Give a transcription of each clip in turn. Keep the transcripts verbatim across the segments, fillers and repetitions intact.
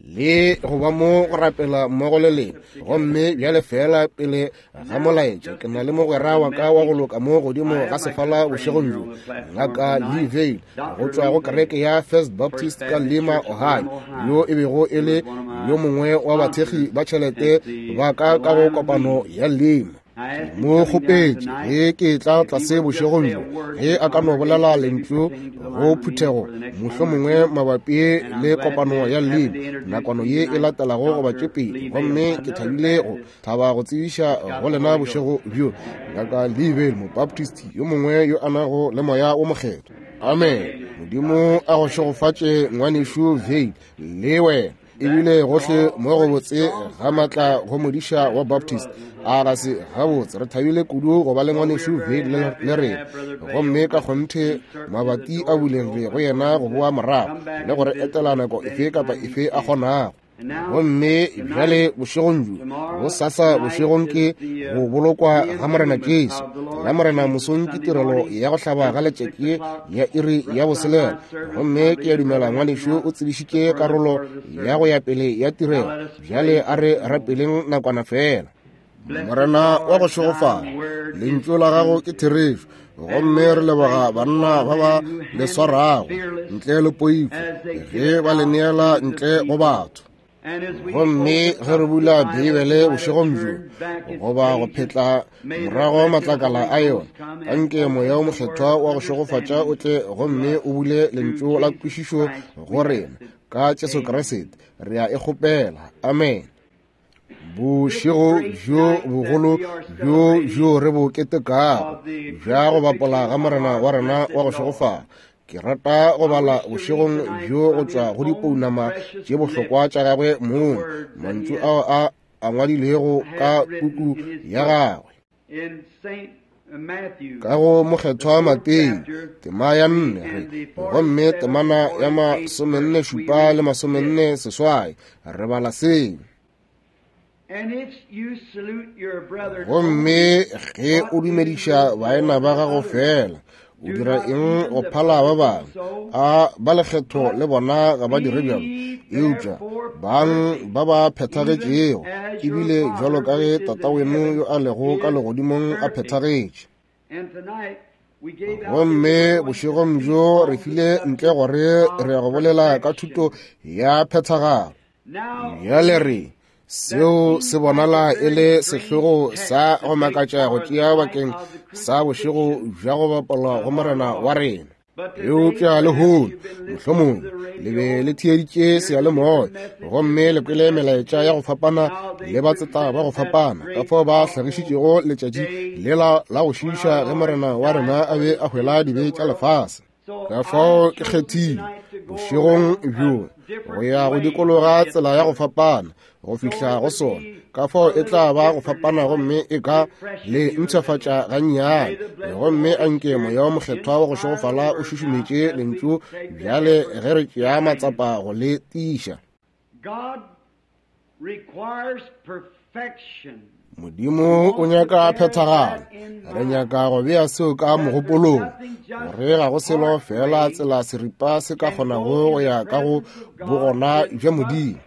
Le go ba mo go rapela mmogo le lena. Gomme bjale feela pele ga molaetša, ke na le mogwera wa ka wa go loka mo godimo ga sefala bošegong bjo, Ngaka Lee Vayle, go tšwa go kereke ya First Baptist ka Lima, Ohio, yo e bego e le yo mongwe wa bathekgi ba tšhelete ba ka ka go kopano ya Lima. Mo kgopetše ge ke tla tlase bošegong bjo, ge a ka no bolela lentšu go phuthego, mohlomongwe mabapi le kopano ya Lima nakwana ye e latelago goba tše pedi. Gomme ke thabile go thaba go tsebiša go lena bošego bjo Ngaka Lee Vayle, Mobaptist yo mongwe yo a nago le Moya wo Mokgethwa. Amen. Modimo a go šegofatše, ngwanešu Vayle, le wena. Ebile gohle mo go botse ga maatla go modiša wa Baptist. A ga se gabotse? Re thabile kudu go ba le ngwanešu Vayle le rena. Gomme ka kgonthe mabati a bulegile go yena go boa morago le go re etela nako efe kapa efe a kgonago. Gomme bjale bošegong bjo, bosasa bošegong ke go bolokwa ga Morena Jesu. La Morena mosong ke tirelo ya go hlaba ga letšatši ya iri ya boselela. Gomme ke a dumela ngwanešu o tsebišitše karolo ya go ya pele ya tirelo. Bjale a re rapeleng nakwana fela. Morena wa go šegofala, lentšu la gago ke therešo, gomme re leboga banna ba ba le swarago ntle le poifo ge ba le neela ntle go batho. Gomme ge re bula Beibele bošegong bjo, goba go phetla morago matlakala a yona, anke Moya o Mokgethwa wa go šegofatša o tle gomme o bule lentšu la kwešišo go rena ka Jesu Kriste. Re a e kgopela. Amen. Bošego bjo bogolo bjo bjo re bo ketekago bja go bapola ga Morena wa rena wa go šegofala. Ke rata go bala bošegong bjo go tšwa go dipounama tše bohlokwa tša gagwe mong, mantšu ao a a ngwadilego ka puku ya gagwe. Ka go Mokgethwa Mateo, tema ya nne, gomme temana ya masomenne šupa le masomenne seswai, re bala se. Gomme ge o dumediša baena ba gago fela, o dira eng go phala ba bangwe? A ba lekgetho le bona ga ba dire bjalo? Eupša bang ba ba phethagetšego, ebile bjalo ka ge Tataweno yo a lego ka legodimong a phethagetše. Gomme bošegong bjo re file ntle gore re go bolela ka thuto ya phethagalo. Bjale re seo se bonala e le sehlogo sa go makatša go tšea bakeng sa bošego bja go bapalwa go Morena wa rena. Eupša lehono mohlomongwe le be le theeditše seyalemoya gomme le kwele melaetša ya go fapana le batseta ba go fapana ka fao ba hlagišitšego letšatši lela la go šiiša ge Morena wa rena a be a hwela dibe tša lefase. Ka fao ke kgethile bošegong bjo go ya go dikologa tsela ya go fapana go fihla go sona. Ka fao e tla ba go fapana gomme e ka le mpshafatša gannyane. Gomme anke Moya o Mokgethwa wa go šegofala o šušumetše lentšu bjale ge re tšea matsapa go le tiiša. Modimo o nyaka phethagalo. Re nyaka go bea seo ka mogopolong, gore ga go selo fela tsela seripa se ka kgonago go ya ka go bogona bja Modimo.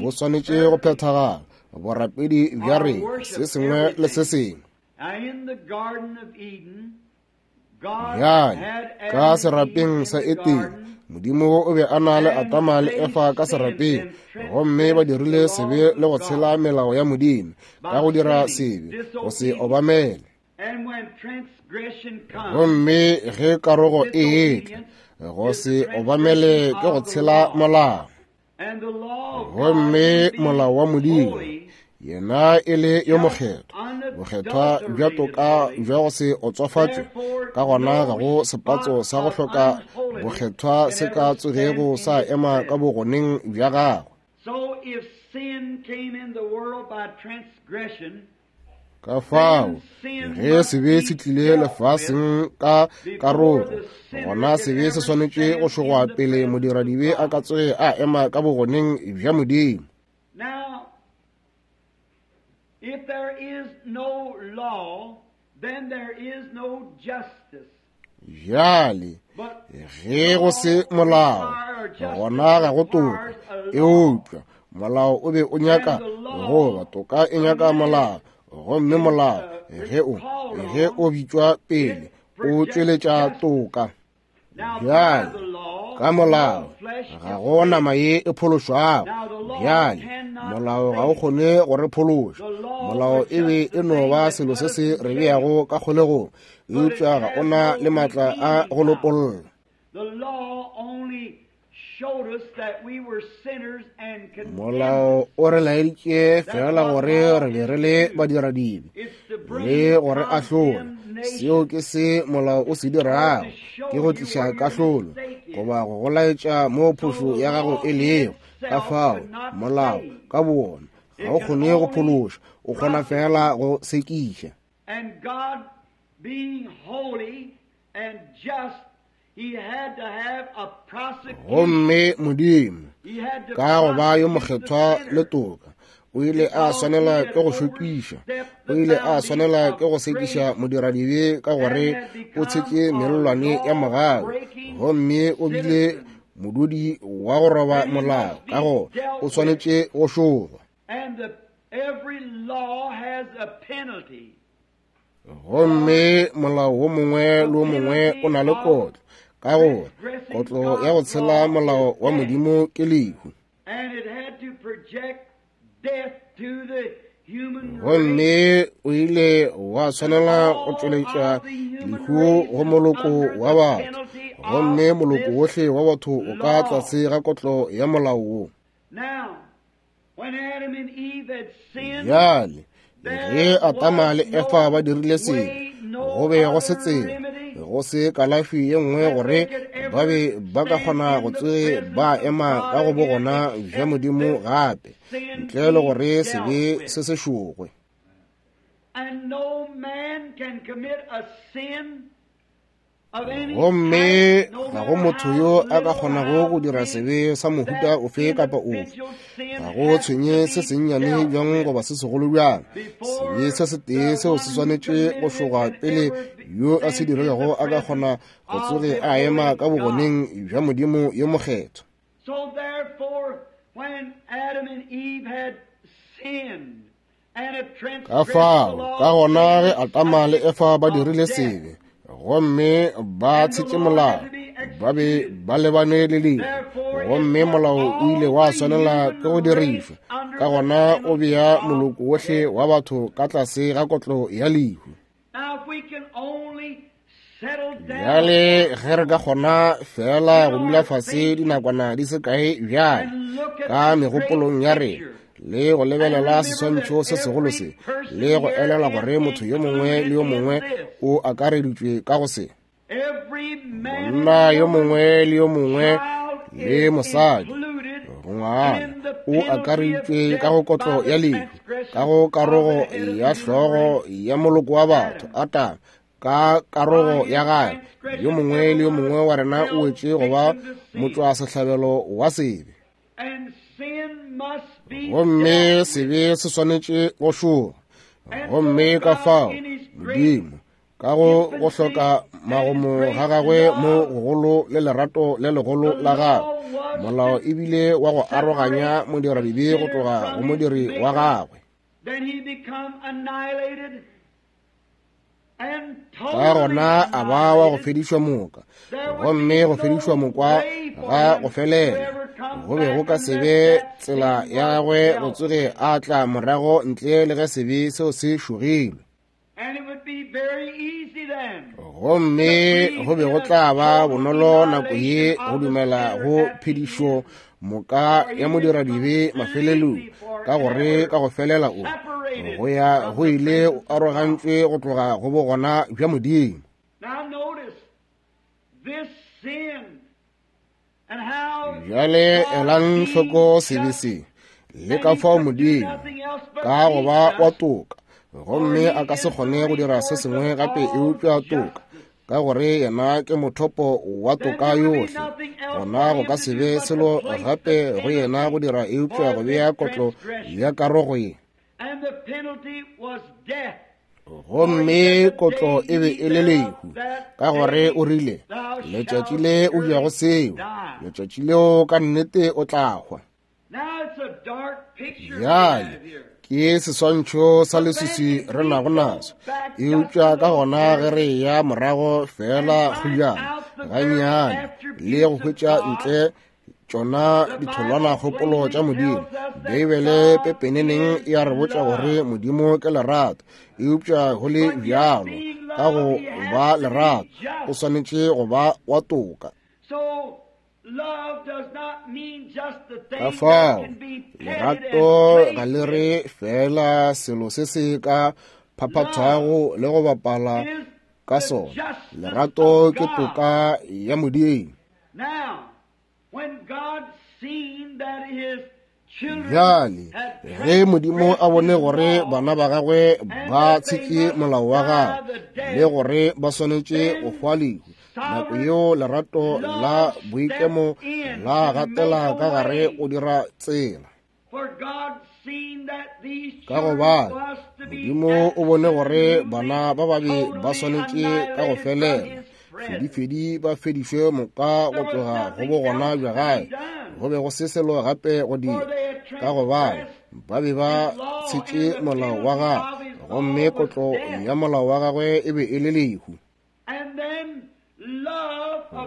Bo swanetše go phethagala borapedi bja rena, se sengwe le se sengwe. Bjale ka serapeng sa Edene, Modimo o be a na le Adama le Efa ka serapeng, gomme ba dirile sebe le go tshela melao ya Modimo ka go dira sebe, go se obamele. Gomme ge karogo e etla, go se obamele ke go tshela molao. Gomme molao wa Modimo, yena e le yo mokgethwa, bokgethwa bja toka bja go se otswafatšwe, ka gona ga go sepatso sa go hloka bokgethwa se ka tsogego sa ema ka bogoneng bja gagwe. Ka fao ge sebe se tlile lefaseng ka karogo, gona sebe se swanetše go šogwa pele modiradibe a ka tsoge a ema ka bogoneng bja Modimo. If there is no law, then there is no justice. Bjale ge go se molao, gona ga go toka. Eupša Molao o be o nyaka goba toka e nyaka molao, gomme molao ge o ge o bitšwa pele o tšweletša toka. Bjale ka molao ga go nama ye e phološwago. Bjale molao ga o kgone go re phološa. Molao e be e no ba selo se se re beago ka kgolegong, eupša ga o na le maatla a go lopolla. Molao o re laeditše fela gore re be re le badiradibe le gore ahlola. Seo ke se molao o se dirago, ke go tliša kahlolo goba go go laetša mo phošo ya gago e lego. Ka fao molao ka bowona ga o kgone go phološa, o kgona fela go sekiša. Gomme Modimo ka go ba yo mokgethwa le toka, o ile a swanela ke go šokiša, o ile a swanela ke go sekiša modiradibe ka gore o tshetše mellwane ya mogau, gomme o bile modudi wa go roba molao, ka go o swanetše go šogwa. Gomme molao wo mongwe le wo mongwe o na le kotlo, ka gore kotlo ya go tshela molao wa Modimo ke lehu. Gomme o ile wa swanela go tšweletša lehu go moloko wa batho, gomme moloko wohle wa batho o ka tlase ga kotlo ya molao wo. Bjale ge Adama le Efa ba dirile sebe, go be go se tsela, go se kalafi ye nngwe gore ba be ba ka kgona go tsoge ba ema ka go bogona bja Modimo gape, ntle le gore sebe se se šogwe. Gomme ga go motho yo a ka kgonago go dira sebe sa mohuta ofe kapa ofe, ga go tshwenye se sennyane bjang goba se segolo bjang. Sebe se setee seo se swanetše go šogwa pele yo a se dirilego a ka kgona go tsoge a ema ka bogoneng bja Modimo yo mokgethwa. Ka fao ka gona ge Adama le Efa ba dirile sebe gomme ba tshetše molao, ba be ba lebane le lehu, gomme molao o ile wa swanela ke go dirišwa. Ka gona o bea moloko wohle wa batho ka tlase ga kotlo ya lehu. Bjale ge re ka kgona fela go dula fase dinakwana di se kae bjale ka megopolong ya rena le go lebelela seswantšho se segolo se, le go elela gore motho yo mongwe le yo mongwe o akareditšwe ka go se. Monna yo mongwe le yo mongwe le mosadi ngwana o akareditšwe ka go kotlo ya lehu, ka go karogo ya hlogo ya moloko wa batho Adama, ka karogo ya gagwe. Yo mongwe le yo mongwe wa rena o wetše go ba motšwasehlabelo wa sebe, gomme sebe se swanetše go šoga. Gomme ka fao Modimo ka go go hloka magomo ga gagwe mo gogolo le lerato le legolo la gagwe, molao ebile wa go aroganya modiradibe go tloga go modiri wa gagwe. Ka gona a ba wa go fedišwa moka, gomme go fedišwa mokwa ga go felela. Go be go ka se be tsela ya gagwe go tsoge a tla morago ntle le ge sebe seo se šogilwe. Gomme go be go tla ba bonolo nako ye go dumela go phedišo moka ya modiradibe mafelelong, ka gore ka go felela o go ya go ile o arogantšwe go tloga go bogona bja Modimo. Bjale elang hloko sebe se le ka fao Modimo ka go ba wa toka, gomme a ka se kgone go dira se sengwe gape eupša toka, ka gore yena ke mothopo wa toka yohle. Gona go ka se be selo gape go yena go dira eupša go bea kotlo ya karogo ye. Gomme kotlo e be e le lehu, ka gore o rile, letšatši le o jago seo, letšatši leo ka nnete o tla hwa. Bjale ke seswantšho sa leswiswi re nago naso, eupša ka gona ge re ya morago fela kgojana gannyane le go hwetša ntle tšona ditholwanakgopolo tša Modimo. Beibele pepeneneng e a re botša gore Modimo ke lerato, eupša go le bjalo ka go ba lerato o swanetše go ba wa toka. Ka fao lerato ga le re fela selo se se ka phaphathwago le go bapala ka sona. Lerato ke toka ya Modimo. Bjale ge Modimo a bone gore bana ba gagwe ba tshetše molao wa gagwe le gore ba swanetše go hwa lehu, nako yeo lerato la boikemo la gatela ka gare go dira tsela. Ka gobane Modimo o bone gore bana ba babe ba swanetše ka go felela fedifedi ba fedišwe moka go tloga go bogona bja gae, go be go se selo gape go dira, ka gobane ba be ba tshetše molao wa gagwe, gomme kotlo ya molao wa gagwe e be e le lehu.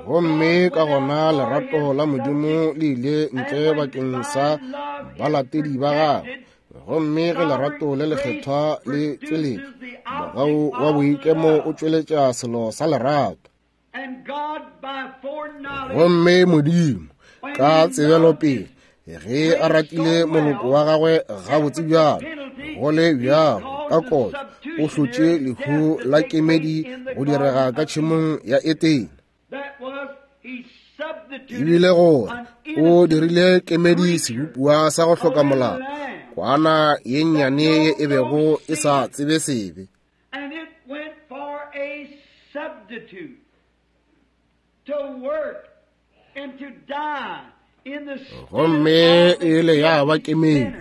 Gomme ka gona lerato la Modimo le ile ntle bakeng sa balatedi ba gagwe, gomme ge lerato le lekgethwa le tšweletša, mogau wa boikemo o tšweletša selo sa lerato. Gomme Modimo ka tsebelopele ge a ratile moloko wa gagwe gabotse bjalo, go le bjalo ka kotlo o hlotše lehu la kemedi go direga ka tšhemong ya Etene. Ebile gore o dirile kemedi sebopiwa sa go hloka molao, kwana ye nnyane ye e bego e sa tsebe sebe. Gomme e ile ya ba kemedi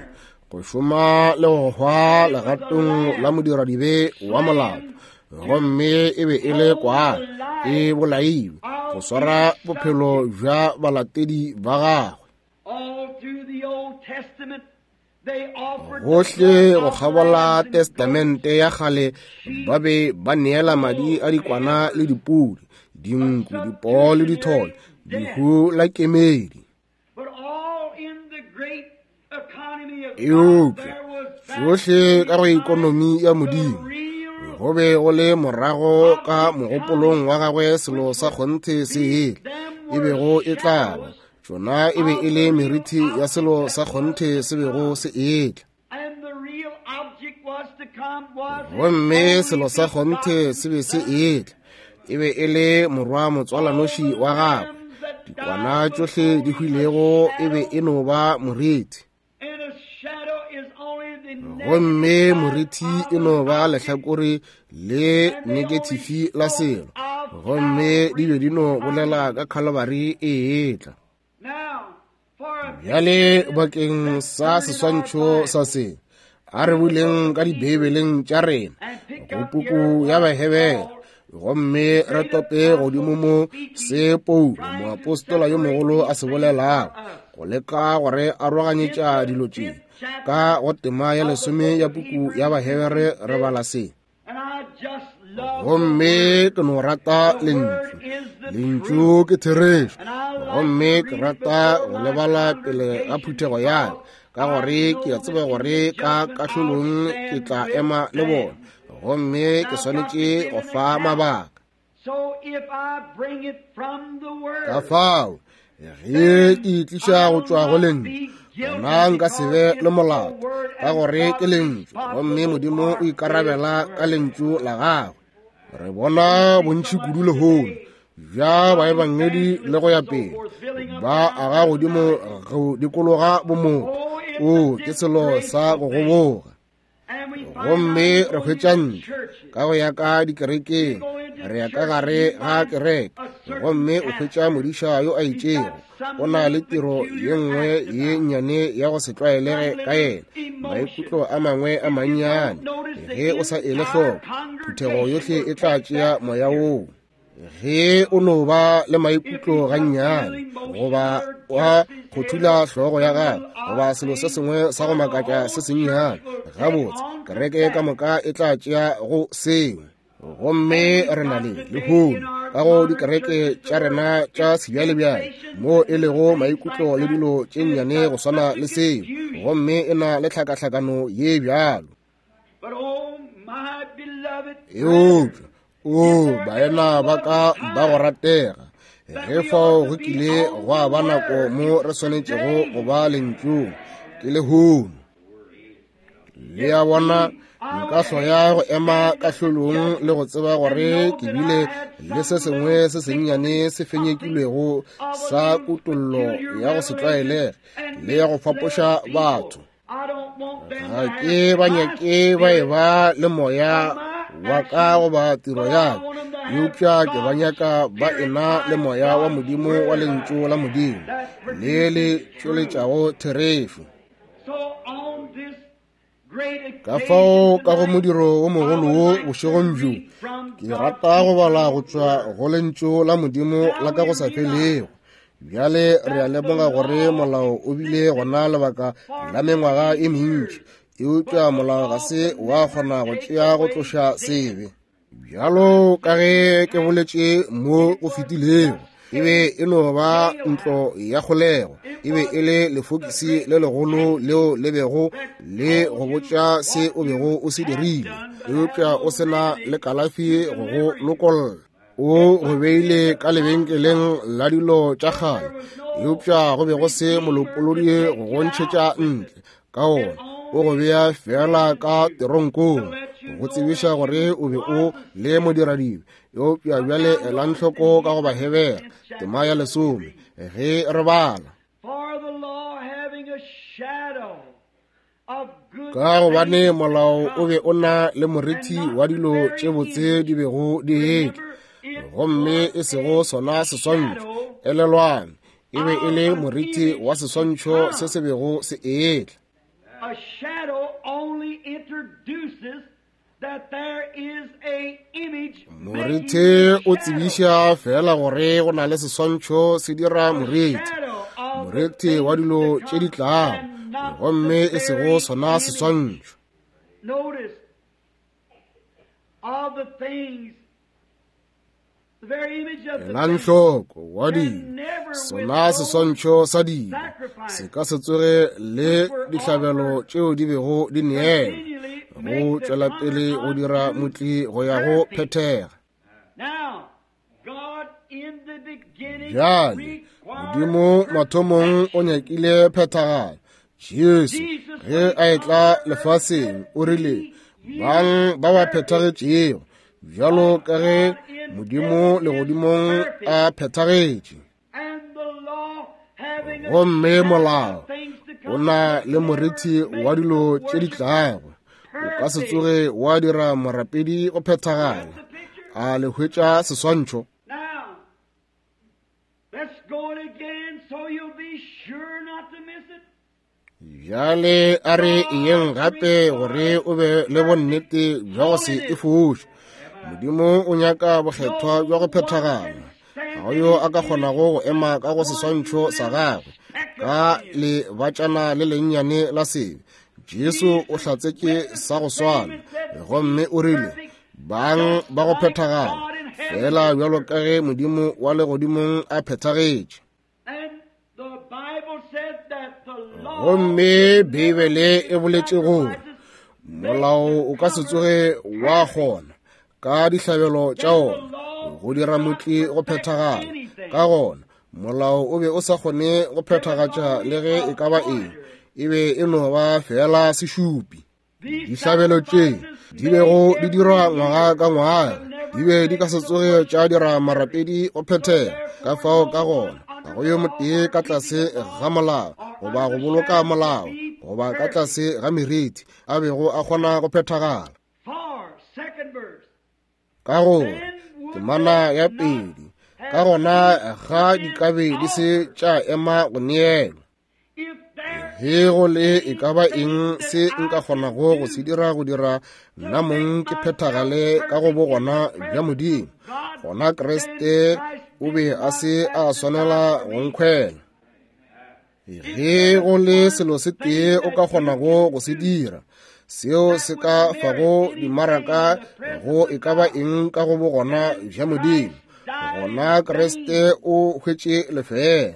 go šoma le go hwa legatong la modiradibe wa molao, gomme e be e le kwana e bolailwe go swara bophelo bja balatedi ba gagwe. Gohle go kgabola Testamente ya kgale ba be ba neela madi a dikwana le dipudi, dinku, dipoo le dithole, lehu la kemedi. Eupša tšohle ka go ikonomi ya Modimo go be go le morago ka mogopolong wa gagwe selo sa kgonthe se ele e bego e tla ba. Tšona e be e le meriti ya selo sa kgonthe se bego se etla. Gomme selo sa kgonthe se be se etla, e be e le morwa motswalanoši wa gagwe. Dikwana tšohle di hwilego e be e no ba moriti, gomme moriti e no ba lehlakore le negatifi la selo, gomme di be di no bolela ka Calvary e etla. Bjale bakeng sa seswantšho sa se, a re buleng ka dibeibeleng tša rena go puku ya Bahebere, gomme re tope godimo mo se Paulo moapostola yo mogolo a se bolelago go leka gore aroganyetša dilo tše. Ka go tema ya lesome ya puku ya Bahebere re bala se. Gomme ke no rata lentšu, lentšu ke therešo, gomme ke rata go lebala pele ga phuthego ya ka, gore ke a tseba gore ka kahlolong ke tla ema le bona, gomme ke swanetše go fa mabaka. Ka fao ge ke itliša go tšwa go lentšu, gona nka se be le molato, ka gore ke lentšu, gomme Modimo o ikarabela ka lentšu la gagwe. Re bona bontši kudu lehono bja baebangedi le go ya pele ba aga godimo go dikologa bomotho. O ke selo sa go goboga. Gomme re hwetša ntlo ka go ya ka dikerekeng, re ya ka gare ga kereke, gomme o hwetša modiša yo a itšego o na le tiro ye nngwe ye nnyane ya go se tlwaelege ka yena, maikutlo a mangwe a mannyane. Ge o sa ele hloko, phuthego yohle e tla tšea moya woo. Ge o no ba le maikutlo gannyane, goba wa go thula hlogo ya gago, goba selo se sengwe sa go makatša se sennyane, gabotse kereke ka moka e tla tšea go seo. Gomme re na le lehono ka go dikereke tša rena tša sebjalebjale mo e lego maikutlo le dilo tše nnyane go swana le seo, gomme e na le tlhakahlakano ye bjalo. Eupša o baena ba ka ba go ratega, ge fao go kile gwa ba nako mo re swanetšego go ba lentšung, ke lehono. Le a bona, nka hloya go ema kahlolong le go tseba gore ke bile le se sengwe se sennyane se fenyekilwego sa kutollo ya go se tlwaelege le ya go fapoša batho. Ga ke ba nyake ba e ba le moya wa ka goba tiro ya ka, eupša ke ba nyaka ba ena le moya wa Modimo wa lentšu la Modimo le le tšweletšago therešo. Ka fao ka go modiro wo mogolo wo bošegong bjo, ke rata go bala go tšwa go lentšu la Modimo la ka go sa felego. Bjale re a lemoga gore molao o bile gona lebaka la mengwaga e mentši, eupša molao ga se wa kgona go tšea go tloša sebe. Bjalo ka ge ke boletše mo go fetilego, e be e no ba ntlo ya kgolego, e be e le lefokisi le legolo leo le bego le go botša se o bego o se dirile, eupša o se na le kalafi go go lokolla. O go beile ka lebenkeleng la dilo tša kgale, eupša go be go se molopolodi go go ntšhetša ntle ka ona. O go bea fela ka teronkong go tsebiša gore o be o le modiradibe. Eupša bjale elang hloko ka go Bahebere tema ya lesome ge re bala. Ka gobane molao o be o na le moriti wa dilo tše botse di bego di etla, gomme e sego sona seswantšho. Elelwang, e be e le moriti wa seswantšho se se bego se etla. A shadow only introduces that there is a image. Moriti o tsebiša fela gore go na le seswantšho se dira moriti, moriti wa dilo tše di tlago, gomme e sego sona seswantšho. Notice all the things, Elang hloko wa dilo, sona seswantšho sa dilo se ka se tsoge le dihlabelo tšeo di bego di neelwa go tšwela pele go dira motli go ya go phethega. Bjale Modimo mathomong o nyakile phethagalo. Jesu ge a etla lefaseng o rile, bang ba ba phethagetšego bjalo ka ge Modimo legodimong a phethagetše. Gomme molao o na le moriti wa dilo tše di tlago, o ka se tsoge wa dira morapedi go phethagala. A le hwetša seswantšho? Bjale a re eyeng gape gore o be le bonnete bja go se e foše. Modimo o nyaka bokgethwa bja go phethagala. Ga go yo a ka kgonago go ema ka go seswantšho sa gagwe ka lebatšana le lennyane la sebe. Jesu o hlatsetše sa go swana, gomme o rile, bang ba go phethagala fela bjalo ka ge Modimo wa legodimong a phethagetše. Gomme Beibele e boletše gore molao o ka se tsoge wa kgona ka dihlabelo tša ona go dira motli go phethagala. Ka gona molao o be o sa kgone go phethagatša le ge e ka ba eng, e be e no ba fela sešupi. Dihlabelo tše di bego di dirwa ngwaga ka ngwaga di be di ka se tsoge tša dira marapedi go phethega. Ka fao ka gona ga go yo motee ka tlase ga molao goba go boloka molao goba ka tlase ga meriti a bego a kgona go phethagala. Ka gore temana ya pedi, ka gona ga di ka be di se tša ema go neelwa. Ge go le e ka ba eng se nka kgonago go se dira go dira nna mong ke phethagale ka go bogona bja Modimo, gona Kriste o be a se a swanela go nkhwela. Ge go le selo se tee o ka kgonago go se dira, seo se ka fago dimaraka go e ka ba eng ka go bogona bja Modimo, gona Kriste o hwetše lefeela.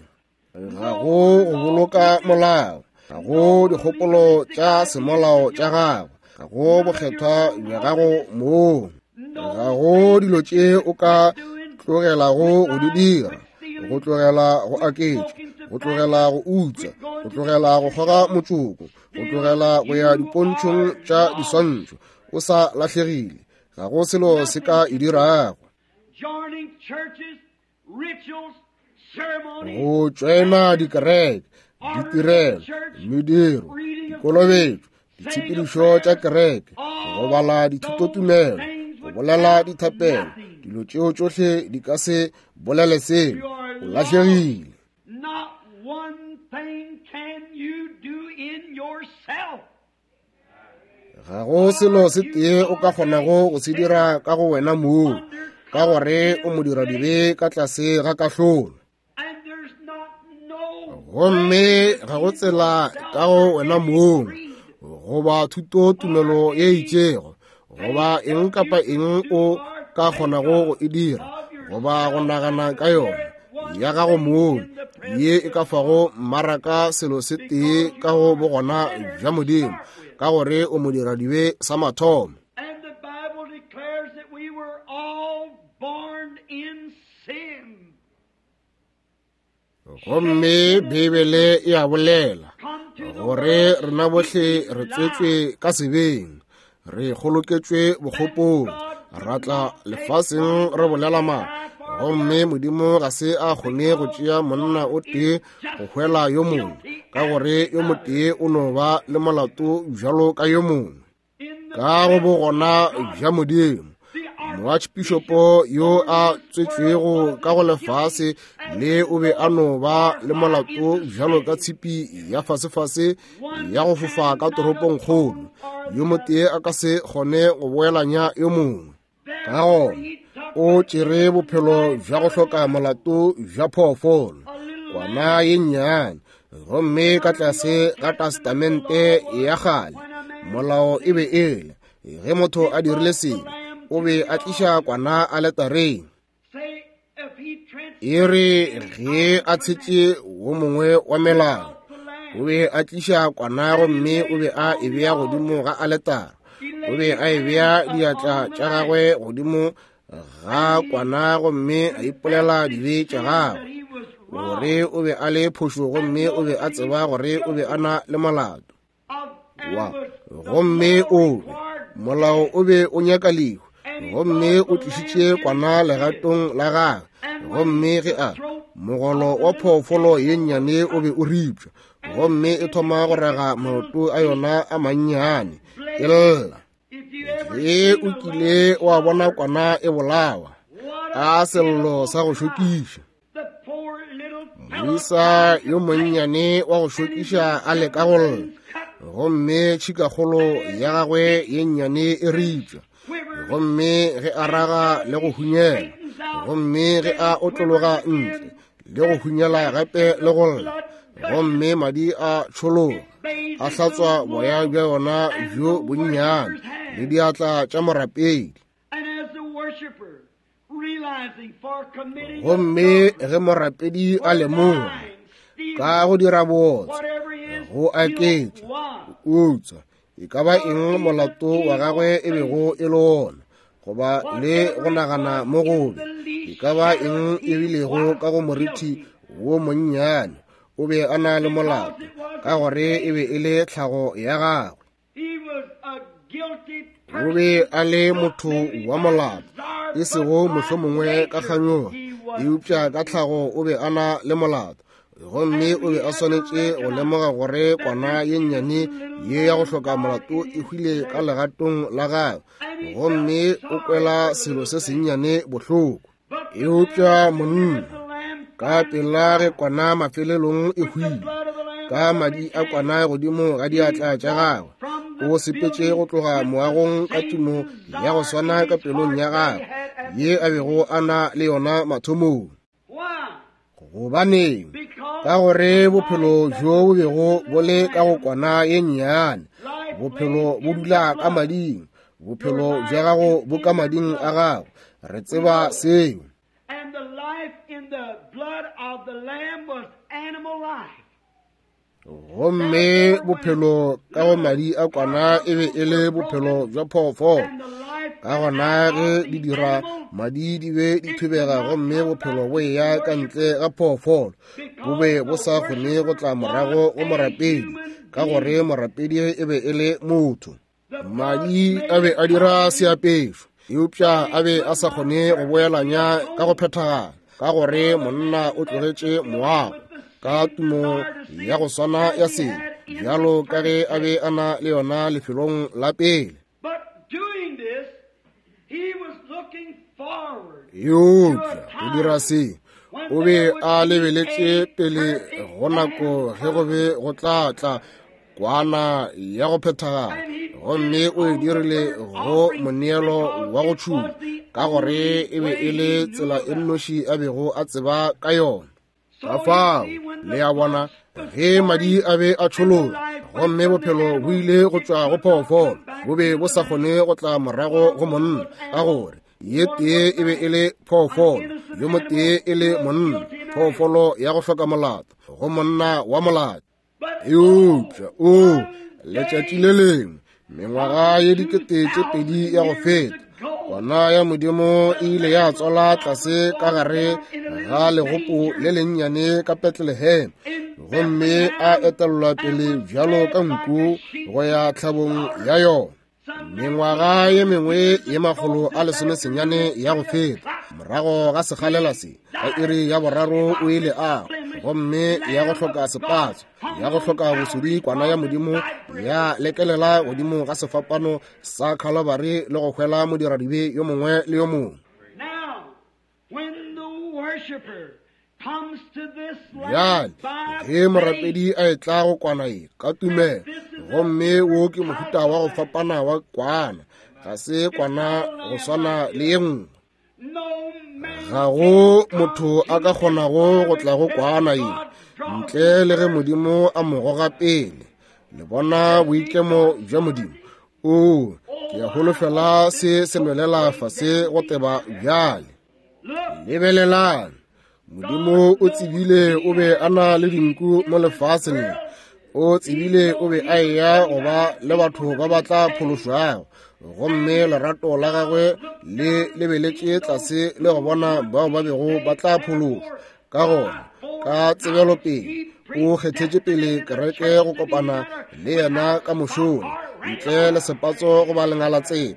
Ga go go boloka molao, ga go dikgopolo tša semolao tša gago, ga go bokgethwa bja gago mong, ga go dilo tše o ka tlogelago go di dira, go tlogela go aketša, go tlogela go utswa, go tlogela go kgoga motšoko, go tlogela go ya dipontšhong tša diswantšho, o sa lahlegile. Ga go selo se ka e dirago. Go tšoena dikereke, ditirelo, mediro, dikolobetšo, ditshepedišo tša kereke, go bala dithutotumelo, go bolela dithapelo, dilo tšeo tšohle di ka se bolele selo. O lahlegile. Not one thing can you do in yourself. Ga go selo se tee o ka kgonago go se dira ka go wena mong, ka gore o modiradibe ka tlase ga kahlolo. Gomme ga go tsela ka go wena mong, goba thuto tumelo ye itšego, goba eng kapa eng o ka kgonago go e dira, goba go nagana ka yona ya gago mong, ye e ka fago mmaraka selo se tee ka go bogona bja Modimo, ka gore o modiradibe sa mathomo. And the Bible declares that we were all born in sin. Gomme Beibele e a bolela gore rena bohle re tswetšwe ka sebeng, re kgoloketšwe bokgopong, ra tla lefaseng re bolela maaka. Gomme Modimo ga se a kgone go tšea monna o tee go hwela yo mongwe, ka gore yo motee o no ba le molato bjalo ka yo mongwe. Ka go bogona bja Modimo, moarchbishopo yo a tswetšwego ka go lefase le o be a no ba le molato bjalo ka tshipi ya fasefase ya go fofa ka toropongkgolo. Yo motee a ka se kgone go boelanya yo mongwe. Ka gona o tšere bophelo bja go hloka molato bja phoofolo, kwana ye nnyane. Gomme ka tlase ga testamente ya kgale, molao e be e le ge motho a dirile sebe, o be a tliša kwana aletareng. E re ge a tshetše wo mongwe wa melao, o be a tliša kwana gomme o be a e bea godimo ga aletara. O be a e bea diatla tša gagwe godimo ga kwana gomme a ipolela dibe tša gagwe, gore o be a le phošo gomme o be a tseba gore o be a na le molato. Wa gomme o be molao o be o nyaka lehu, gomme o tlišitše kwana legatong la gagwe. Gomme ge a mogolo wa phoofolo ye nnyane o be o ripša, gomme e thoma go raga maoto a yona a mannyane e lla. Ge o kile wa bona kwana e bolawa, a sello sa go šokiša. Moisa yo monnyane wa go šokiša a leka go lla, gomme tšhikakgolo ya gagwe ye nnyane e ripša, gomme ge a raga le go hunyela, gomme ge a otlologa ntle le go hunyela gape le go lla, gomme madi a tšhologa a hlatswa boya bja yona bjo bonnyane le diatla tša morapedi. Gomme ge morapedi a lemoga ka go dira bootswa, go aketša, go utswa, e ka ba eng molato wa gagwe e bego e le wona, goba le go nagana mo gobe, e ka ba eng e bilego ka go morithi wo monnyane, o be a na le molato, ka gore e be e le tlhago ya gagwe. O be a le motho wa molato, e sego mohlomongwe ka kganyogo, eupša ka tlhago o be a na le molato. Gomme o be a swanetše go lemoga gore kwana ye nnyane ye ya go hloka molato e hwile ka legatong la gagwe, gomme o kwela selo se sennyane bohloko. Eupša monna, ka pela ge kwana mafelelong e hwile, ka madi a kwana godimo ga diatla tša gagwe, O sepetše go tloga moagong ka tumo ya go swana ka pelong ya gagwe ye a bego a na le yona mathomong. Gobaneng? Ka gore bophelo bjo bo bego bo le ka go kwana ye nnyane, bophelo bo dula ka mading. Bophelo bja gago bo ka mading a gago. Re tseba seo. And the life in the blood of the lamb was animal life. Gomme bophelo ka go madi a kwana e be e le bophelo bja phoofolo. Ka gona ge di dira madi di be di thubega, gomme bophelo bo eya ka ntle ga phoofolo, bo be bo sa kgone go tla morago go morapedi, ka gore morapedi e be e le motho. Madi a be a dira seapešo, eupša a be a sa kgone go boelanya ka go phethagala, ka gore monna o tlogetše moago ka tumo ya go swana ya sebe bjalo ka ge a be a na le yona lefelong la pele. Eupša go dira se, o be a lebeletše pele go nako ge go be go tla tla kwana ya go phethagala, gomme o e dirile go moneelo wa go tšhuma, ka gore e be e le tsela e nnoši a bego a tseba ka yona. Ka fao le a bona, ge madi a be a tšhologa gomme bophelo bo ile go tšwa go phoofolo, bo be bo sa kgone go tla morago go monna, ka gore ye tee e be e le phoofolo, yo motee e le monna, phoofolo ya go hloka molato go monna wa molato. Eupša o letšatši le lengwe, mengwaga ye dikete tše pedi ya go feta, kwana ya Modimo e ile ya tswala tlase ka gare ga legopo le lennyane ka Bethlehem, gomme a etellwa pele bjalo ka nku go ya tlhabong ya yona. Mengwaga ye mengwe ye makgolo a lesomesenyane ya go feta, morago ga sekgalela se, ka iri ya boraro o ile a, gomme ya go hloka sepatso, ya go hloka bosodi, kwana ya Modimo ya lekelela godimo ga sefapano sa Calvary le go hwela modiradibe yo mongwe le yo mongwe. Bjale ge morapedi a etla go kwana ye ka tumelo, gomme wo ke mohuta wa go fapana wa kwana, ga se kwana go swana le ye nngwe. Ga go motho a ka kgonago go tla go kwana ye ntle le ge Modimo a mo goga pele. Le bona boikemo bja Modimo? O, ke a holofela se se nwelela fase go teba bjale. Lebelelang, Modimo o tsebile o be a na le dinku mo lefaseng le. O tsebile o be a eya go ba le batho ba ba tla phološwago, gomme lerato la gagwe le lebeletše tlase le go bona bao ba bego ba tla phološwa. Ka gona, ka tsebelopele, o kgethetše pele kereke go kopana le yena ka mošola, ntle le sepatso goba lengalatsebe.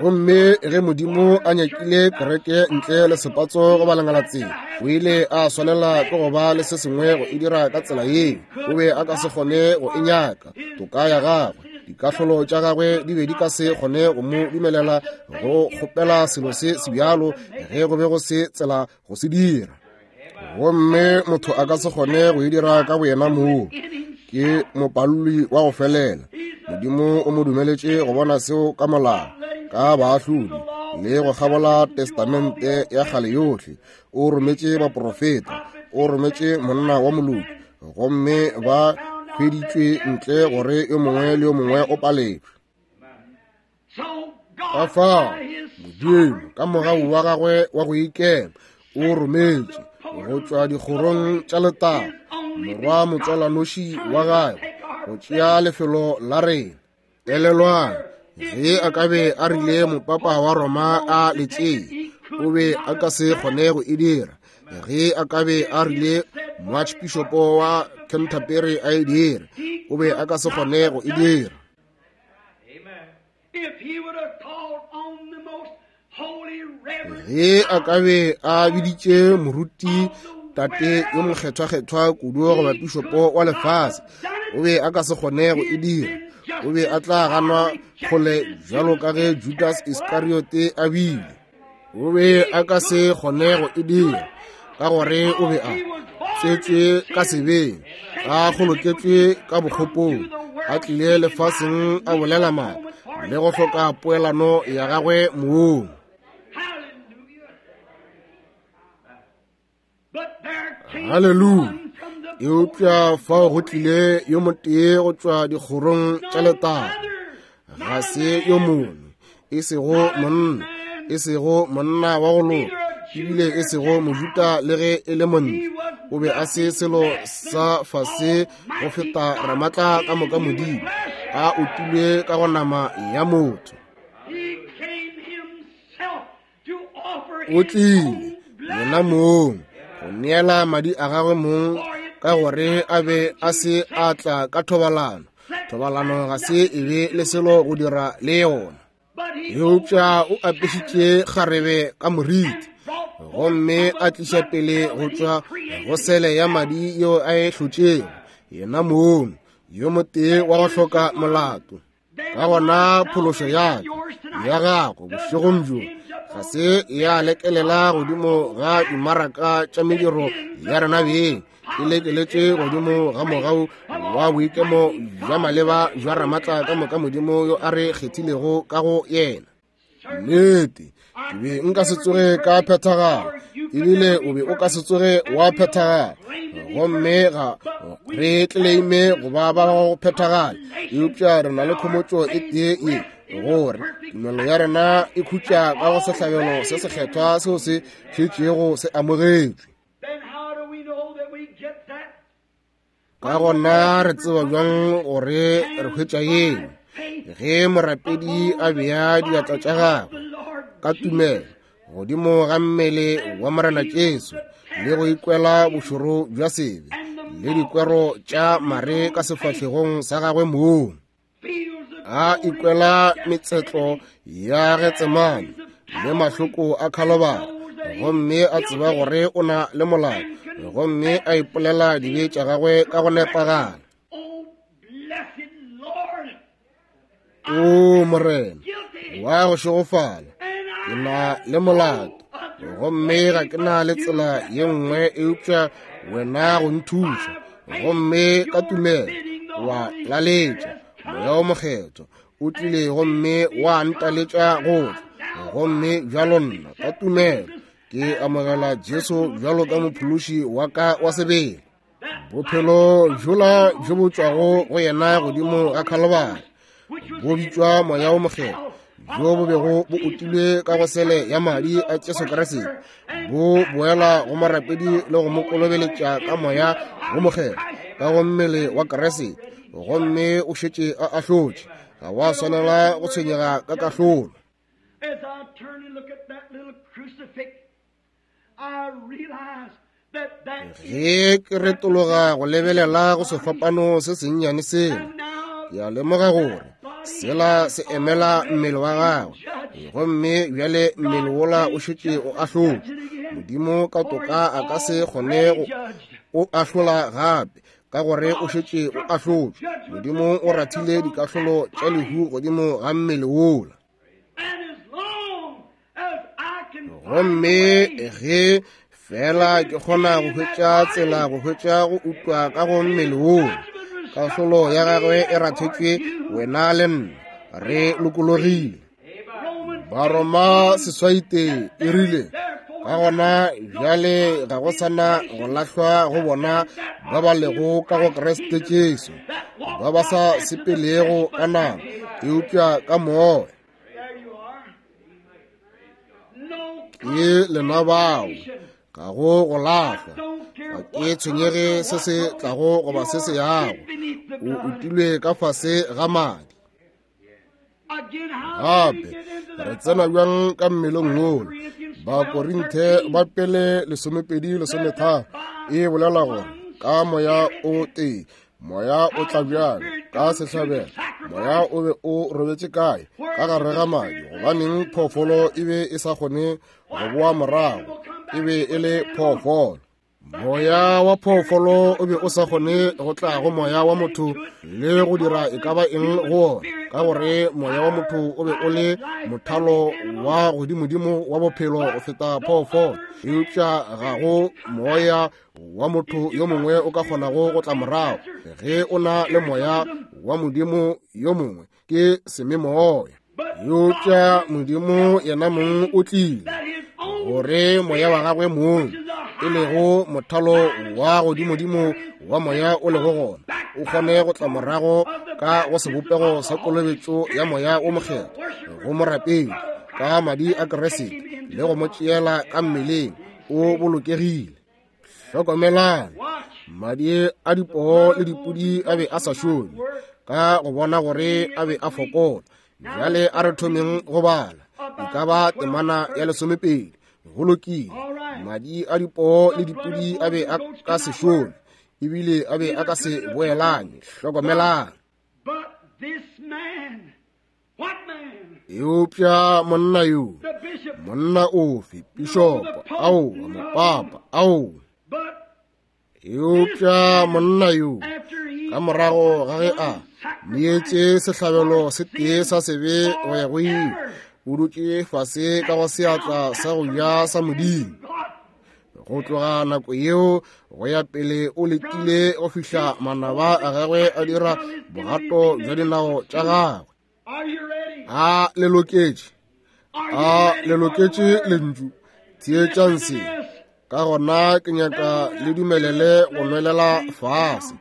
Gomme ge Modimo a nyakile kereke ntle le sepatso goba lengalatsebe, o ile a swanela ke go ba le se sengwe go e dira ka tsela yeo. O be a ka se kgone go e nyaka toka ya gagwe, dikahlolo tša gagwe di be di ka se kgone go mo dumelela go kgopela selo se se bjalo ge go be go se tsela go se dira. Gomme motho a ka se kgone go e dira ka boyena moo, ke mopaloli wa go felela. Modimo o mo dumeletše go bona seo ka molao, ka baahlodi le go kgabola testamente ya kgale yohle. O rometše baprofeta, o rometše monna wa moloki, gomme ba hweditšwe ntle gore yo mongwe le yo mongwe o paletšwe. Ka fao Modimo ka mogau wa gagwe wa go ikema o rometše go tšwa dikgorong tša letago morwa motswalanoši wa gagwe go tšea lefelo la rena. Elelwang, ge a ka be a rile mopapa wa Roma a le tšee, o be a ka se kgone go e dira. Ge a ka be a rile moarchbishopo wa Canterbury a e dire, o be a ka se kgone go e dira. Ge a ka be a biditše moruti tate yo mokgethwa-kgethwa kudu goba pišopo wa lefase, o be a ka se kgone go e dira. O be a tla ganwa kgole bjalo ka ge Judas Iskariote a bile. O be a ka se kgone go e dira, ka gore o be a tswetšwe ka sebeng, a kgoloketšwe ka bokgopong, a tlile lefaseng a bolela maaka le go hloka poelano ya gagwe mong. Haleluya! Eupša fao go tlile yo motee go tšwa dikgorong tša letago, ga se yo mongwe, e sego monna, e sego monna wa go loka, ebile e sego Mojuda le ge e le montle. O be a se selo sa fase go feta Ramatla ka moka Modimo, a utilwe ka go nama ya motho. O tlile yena mong go neela madi a gagwe mong, ka gore a be a se a tla ka thobalano. Thobalano ga se e be le selo go dira le yona. Eupša o apešitše kgarebe ka moriti, gomme a tliša pele go tšwa go sele ya madi yeo a e hlotšego yena mong, yo motee wa go hloka molato. Ka gona phološo ya ka ya gago bošegong bjo ga se ya lekelela godimo ga dimaraka tša mediro ya rena beng, e lekeletše godimo ga mogau wa boikemo bja maleba bja Ramatla ka moka Modimo yo a re kgethilego ka go yena. Nnete, ke be nka se tsoge ka phethagala, ebile o be o ka se tsoge wa phethagala, gomme ga re tleleime go ba ba go phethagala, eupša re na le khomotšo e tee ye, gore tumelo ya rena e khutša ka go sehlabelo se sekgethwa seo se šetšego se amogetšwe. Ka gona re tseba bjang gore re hwetša eng? Ge morapedi a bea diatla tša gagwe ka tumelo godimo ga mmele wa Morena Jesu le go ikwela bošoro bja sebe le dikwero tša mare ka sefahlegong sa gagwe mong, a ikwela metsetlo ya Getsemane le mahloko a Khalobara, gomme a tseba gore o na le molato, gomme a ipolela dibe tša gagwe ka go nepagala. O Morena wa go šegofala, ke na le molato, gomme ga ke na le tsela ye nngwe eupša wena go nthuša. Gomme ka tumelo wa laletša Moya o Mokgethwa o tlile gomme wa ntaletša go tla, gomme bjalo nna ka tumelo ke amogela Jesu bjalo ka mophološi wa ka wa sebele. Bophelo bjola bjo bo tšwago go yena godimo ga Khalobara bo bitšwa Moya o Mokgethwa, bjo bo bego bo utilwe ka go sele ya madi a Jesu Kriste, bo boela go morapedi le go mo kolobeletša ka Moya wo Mokgethwa ka go mmele wa Kriste, gomme o šetše a ahlotše. Ga wa swanela go tshwenyega ka kahlolo. Ge ke retologa go lebelela go sefapano se sennyane sela, ke a lemoga gore sela se emela mmele wa gagwe, gomme bjale mmele wola o šetše o ahlotšwe. Modimo ka toka a ka se kgone go o ahlola gape, ka gore o šetše o ahlotšwe. Modimo o rathile dikahlolo tša lehu godimo ga mmele wola. Gomme ge fela ke kgona go hwetša tsela go hwetša go utlwa ka go mmele wola, kahlolo ya gagwe e rathetšwe wena le nna, re lokologile. Baroma seswaite e rile, ka gona bjale ga go sana go lahlwa go bona ba ba lego ka go Kriste Jesu, ba ba sa sepelego ka nama eupša ka moya. Ke lena bao ga go go lahlwa. Ga ke tshwenyege se se tlago goba se se yago, o utilwe ka fase ga madi. Gape re tsena bjang ka mmeleng wola? Bakorinthe ba pele lesomepedi lesometharo e bolela gore ka moya o tee moya o tla bjalo ka sehlabelo. Moya o be o robetše kae? Ka gare ga madi. Gobaneng phoofolo e be e sa kgone go boa morago? E be e le phoofolo. Moya wa phoofolo o be o sa kgone go tla go moya wa motho le go dira e ka ba eng go ona, ka gore moya wa motho o be o le mothalo wa godimodimo wa bophelo go feta phoofolo. Eupša ga go moya wa motho yo mongwe o ka kgonago go tla morago. Ge o na le moya wa Modimo yo mongwe ke sememoya. Eupša Modimo yena mong o tlile gore moya wa gagwe mong, e lego mothalo wa godimodimo wa moya o lego gona, o kgone go tla morago ka go sebopego sa kolobetšo ya Moya o Mokgethwa go morapedi ka madi a Kriste le go mo tšeela ka mmeleng o bolokegile. Hlokomelang, madi a dipoo le dipudi a be a sa šome ka go bona gore a be a fokola. Bjale a re thomeng go bala e ka ba temana ya lesomepedi. Go lokile, madi a dipoo le dipudi a be a ka se šome, ebile a be a ka se boelane. Hlokomelang. Eupša monna yo, monna ofe, pišopo, aowa, mopapa, aowa. Eupša monna yo, ka morago ga ge a neetše sehlabelo se tee sa sebe go ya go ile, o dutše fase ka go seatla sa go ja sa Modimo. Go tloga nako yeo go ya pele o letile go fihla manaba a gagwe a dira bogato bja dinao tša gagwe. A le loketše, a le loketše lentšu, theetšang se. Ka gona ke nyaka le dumelele go nwelela fase.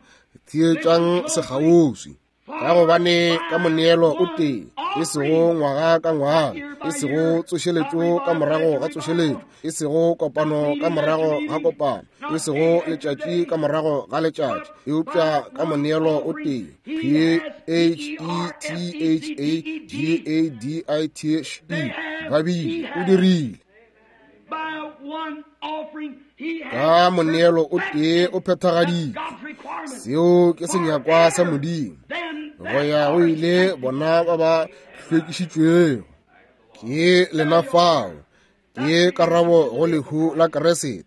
Theetšang sekgauswi. Ka gobane ka moneelo o tee, e sego ngwaga ka ngwaga, e sego tsošeletšo ka morago ga tsošeletšo, e sego kopano ka morago ga kopano, e sego letšatši ka morago ga letšatši, eupša ka moneelo o tee, P H E T H A G A D I T H E, ba bile o dirile. Ka moneelo o tee o phethagaditše. Seo ke senyakwa sa Modimo. Go ya go ile bona ba ba hlwekišitšwego. Ke lena fao. Ke karabo go lehu la Kriste.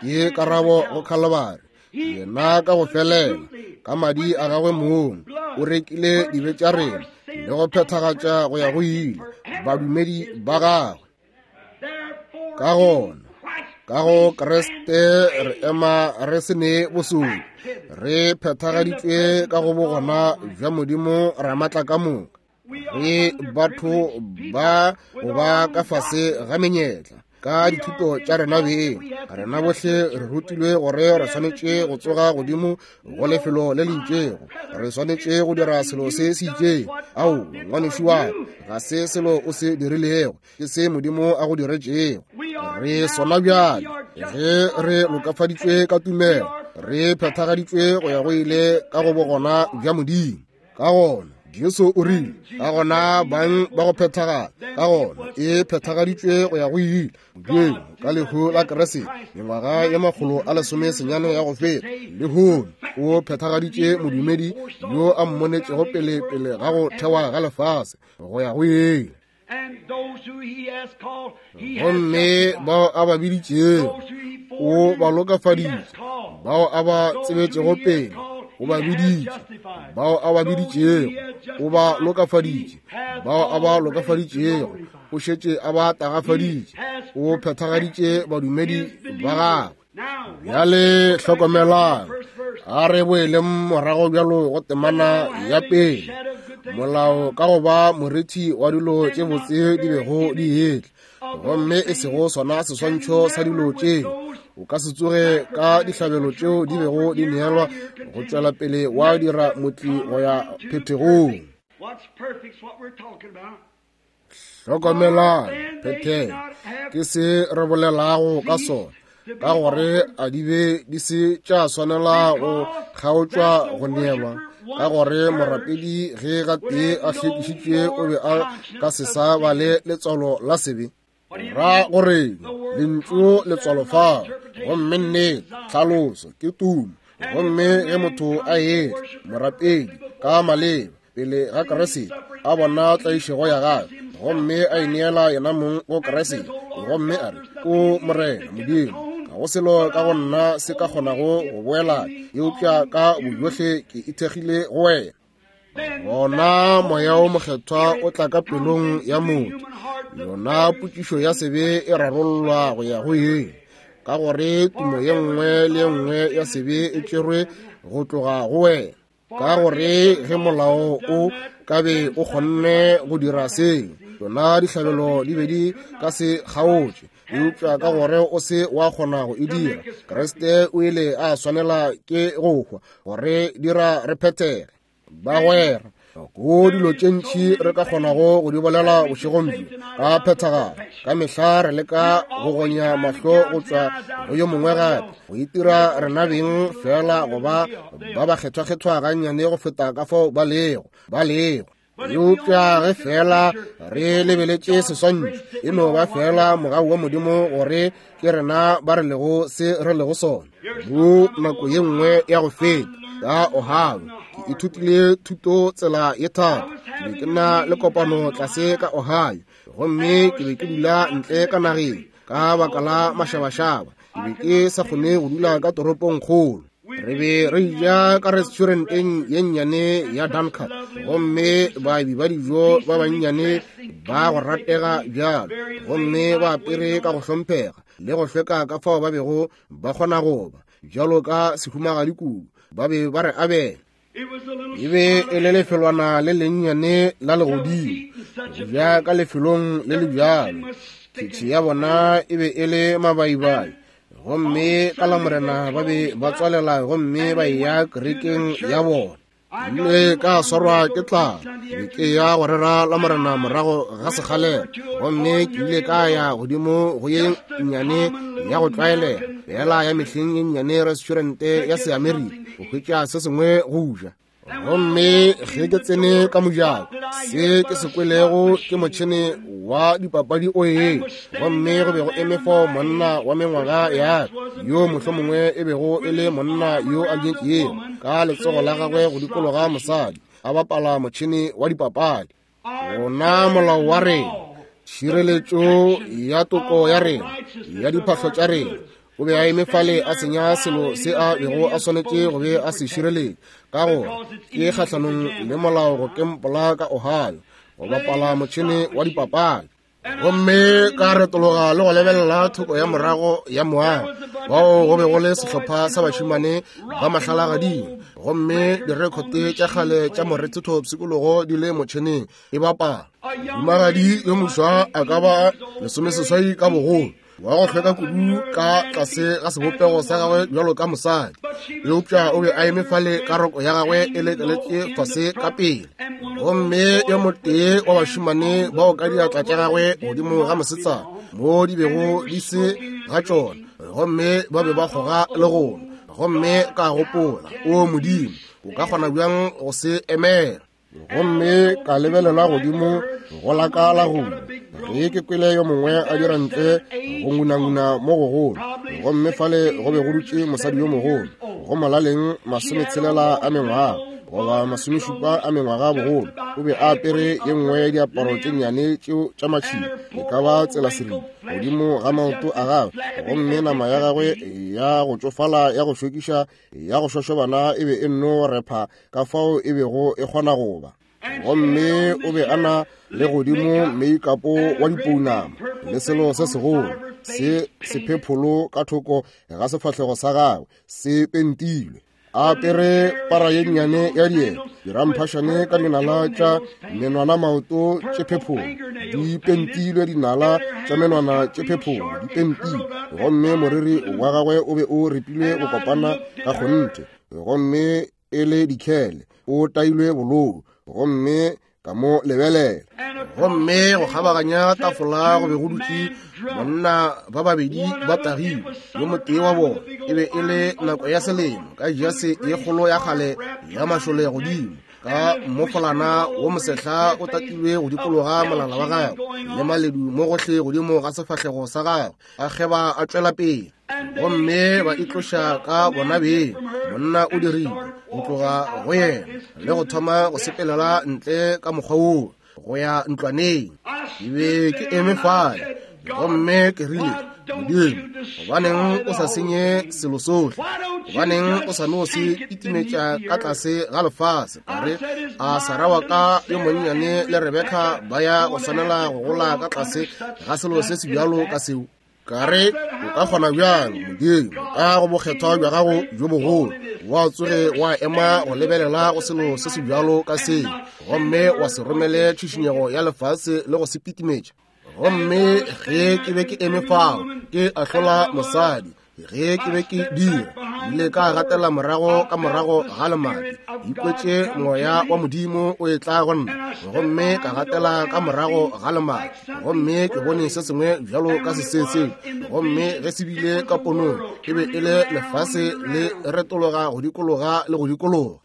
Ke karabo go Khalibari. Yena ka go felela, ka madi a gagwe mong, o rekile dibe tša rena le go phethagatša go ya go ile badumedi ba gagwe. Ka gona, ka go Kriste re ema re se ne bosodi, re phethagaditšwe ka go bogona bja Modimo Ramatla ka moka. Re batho ba go ba ka fase ga menyetla ka dithuto tša rena beng. Rena bohle re rutilwe gore re swanetše go tsoga godimo go lefelo le le itšego, re swanetše go dira selo se se itšego. Ao, ngwanešu wa ka, ga se selo o se dirilego, ke se Modimo a go diretšego. Re sona bjale ge re lokafaditšwe ka tumelo, re phethagaditšwe go ya go ile ka go bogona bja Modimo. Ka gona Jesu o rile, ka gona bang ba go phethagala, ka gona e phethagaditšwe go ya go ile Modimo ka lehu la Kriste mengwaga ye makgolo a lesome senyane ya go feta. Lehono o phethagaditše modumedi yo a mmonetšego pele pele ga go thewa ga lefase go ya go ile. Gomme bao a ba biditšego o ba lokafaditše, bao a ba tsebetšego pele o ba biditše, bao a ba biditšego o ba lokafaditše, bao a ba lokafaditšego o šetše a ba tagafaditše, o phethagaditše badumedi ba gagwe. Bjale hlokomelang, a re boeleng morago bjalo go temana ya pele. Molao ka go ba morithi wa dilo tše botse di bego di etla, gomme e sego sona seswantšho sa dilo tšeo, o ka se tsoge ka dihlabelo tšeo di bego di neelwa go tšwela pele wa dira motli go ya phethegong. Hlokomelang, phethego ke se re bolelago ka sona, ka gore a di be di se tša swanela go kgaotšwa go neelwa, ka gore morapedi ge gatee a hlwekišitšwe o be a ka se sa ba le letswalo la sebe. Ra gore lentšu letswalo fao, gomme nnete tlhaloso ke tumo. Gomme ge motho a etla morapedi ka maleba pele ga Kriste, a bona tlaišego ya gagwe, gomme a ineela yena mong go Kriste, gomme a re, O Morena Modimo, ga go selo ka go nna se ka kgonago go boela, eupša ka bojohle ke ithekgile go wena. Gona Moya o Mokgethwa o tla ka pelong ya motho. Yona potšišo ya sebe e rarollwa go ya go ile, ka gore tumo ye nngwe le ye nngwe ya sebe e tšerwe go tloga go wena. Ka gore ge molao o ka be o kgonne go dira seo, tšona dihlabelo di be di ka se kgaotše. Eupša ka gore o se wa kgona go e dira, Kriste o ile a swanela ke go hwa gore dira re phethege. Bagwera, go dilo tše ntši re ka kgonago go di bolela bošegong bjo ka phethagalo. Ka mehla re leka go gonya mahlo go tšwa go yo mongwe gape, go itira rena beng fela go ba ba ba kgethwa-kgethwa gannyane go feta ka fao ba lego ba lego. Eupša ge fela re lebeletše seswantšho, e no ba fela mogau wa Modimo gore ke rena ba re lego se re lego sona. Mo nako ye nngwe ya go feta ka Ohio, ke ithutile thuto tsela ye thata. Ke be ke na le kopano tlase ka Ohio, gomme ke be ke dula ntle ka nageng ka baka la mašabašaba. Ke be ke sa kgone go dula ka toropong kgolo. Re be re ja ka restauranteng ye nnyane ya Duncan, gomme baabi ba dijo ba bannyane ba go ratega bjalo, gomme ba apere ka go hlomphega le go hlweka ka fao ba bego ba kgona go ba bjalo ka sehumagadi kudu. Ba be ba re abela. E be e le lefelwana le lennyane la legodimo, go ja ka lefelong le le bjalo. Khitšhi ya bona e be e le mabaibai, gomme ka Lamorena ba be ba tswalela gomme ba eya kerekeng ya bona. Mme ka swarwa ke tlala, be ke ya go rera Lamorena morago ga sekgalela, gomme ke ile ka ya godimo go ye nnyane ya go tlwaelega fela ya mehleng ye nnyane restaurante ya Seamerika go hwetša se sengwe go ja. Gomme ge ke tsene ka mojako, se ke se kwelego ke motšhene wa dipapadi o eng, gomme go be go eme fao monna wa mengwaga ya ka, yo mohlomongwe e bego e le monna yo a nyetšego, ka letsogo la gagwe go dikologa mosadi, a bapala motšhene wa dipapadi. Gona molao wa rena, tšhireletšo ya toko ya rena, ya diphahlo tša rena, o be a eme fale a senya selo se a bego a swanetše go be a se šireletše, ka gore ke kgahlanong le molao go kempola ka Ohio go bapala motšhene wa dipapadi. Gomme ka retologa le go lebelela thoko ya morago ya moago, bao go be go le sehlopha sa bašemane ba mahlalagading, gomme direkhote tša kgale tša morethetho pshikologo di le motšheneng e bapala. Mohumagadi yo moswa a ka ba lesomeseswai ka bogolo, wa go hlweka kudu ka tlase ga sebopego sa gagwe bjalo ka mosadi, eupša o be a eme fale ka roko ya gagwe e lekeletše fase ka pele. Gomme yo motee wa bašemane bao ka diatla tša gagwe godimo ga mosetsana mo di bego di se ga tšona, gomme ba be ba kgoga le gona. Gomme ka gopola, o Modimo, o ka kgona bjang go se emela? Gomme ka lebelela godimo go la ka la gongwe, ge ke kwele yo mongwe a dira ntle go ngunanguna mo gogolo, gomme fale go be go dutše mosadi yo mogolo, go molaleng masometshelela a mengwaga goba masomešupa a mengwaga bogolo. O be a apere ye nngwe ya diaparo tše nnyane tšeo tša matšhila, e ka ba tsela seripa godimo ga maoto a gagwe, gomme nama ya gagwe ya go tšofala ya go šokiša ya go šošobana e be e nno repha ka fao e bego e kgona go ba. Gomme o be a na le godimo meikapo wa dipounama le selo se segolo se sephepholo ka thoko ga sefahlego sa gagwe se pentilwe, a apere para ye nnyane ya dieta, diramphašane ka dinala tša menwana maoto tše phepholo di pentilwe, dinala tša menwana tše phepholo di pentilwe, gomme moriri wa gagwe o be o ripilwe go kopana ka kgonthe, gomme e le dikhele, o tailwe bolou, gomme ka mo lebelela. Gomme go kgabaganya tafola go be go dutše monna ba babedi ba tagilwe. Yo motee wa bona e be e le nako ya selemo, ka jase ye kgolo ya kgale ya mašole godimo, ka mofolana wo mosehla o tatilwe go dikologa molala wa gagwe, le maledu mo gohle godimo ga sefahlego sa gagwe, a kgeba a tšwela pele. Gomme ba itloša ka bona beng. Monna o dirile go tloga go yena le go thoma go sepelela ntle ka mokgwa woo go ya ntlwaneng. Ke be ke eme fale, gomme ke rile, Modimo, gobaneng o sa senye selo sohle? Gobaneng o sa no se kitimetša ka tlase ga lefase? Ka re, a Sarah wa ka yo monnyane le Rebeka ba ya go swanela go gola ka tlase ga selo se se bjalo ka seo? Ka re, o ka kgona bjang, Modimo, ka go bokgethwa bja gago bjo bogolo, wa tsoge wa ema go lebelela go selo se se bjalo ka seo, gomme wa se romele tšhišinyego ya lefase le go se pitimetša? Gomme ge ke be ke eme fao ke ahlola mosadi, ge ke be ke dira, ile ka gatela morago ka morago ga lemati, ikwetše moya wa Modimo o etla go nna, gomme ka gatela ka morago ga lemati, gomme ke bone se sengwe bjalo ka sesese, gomme ge se bile ka ponong, e be e le lefase le retologa go dikologa le go dikologa.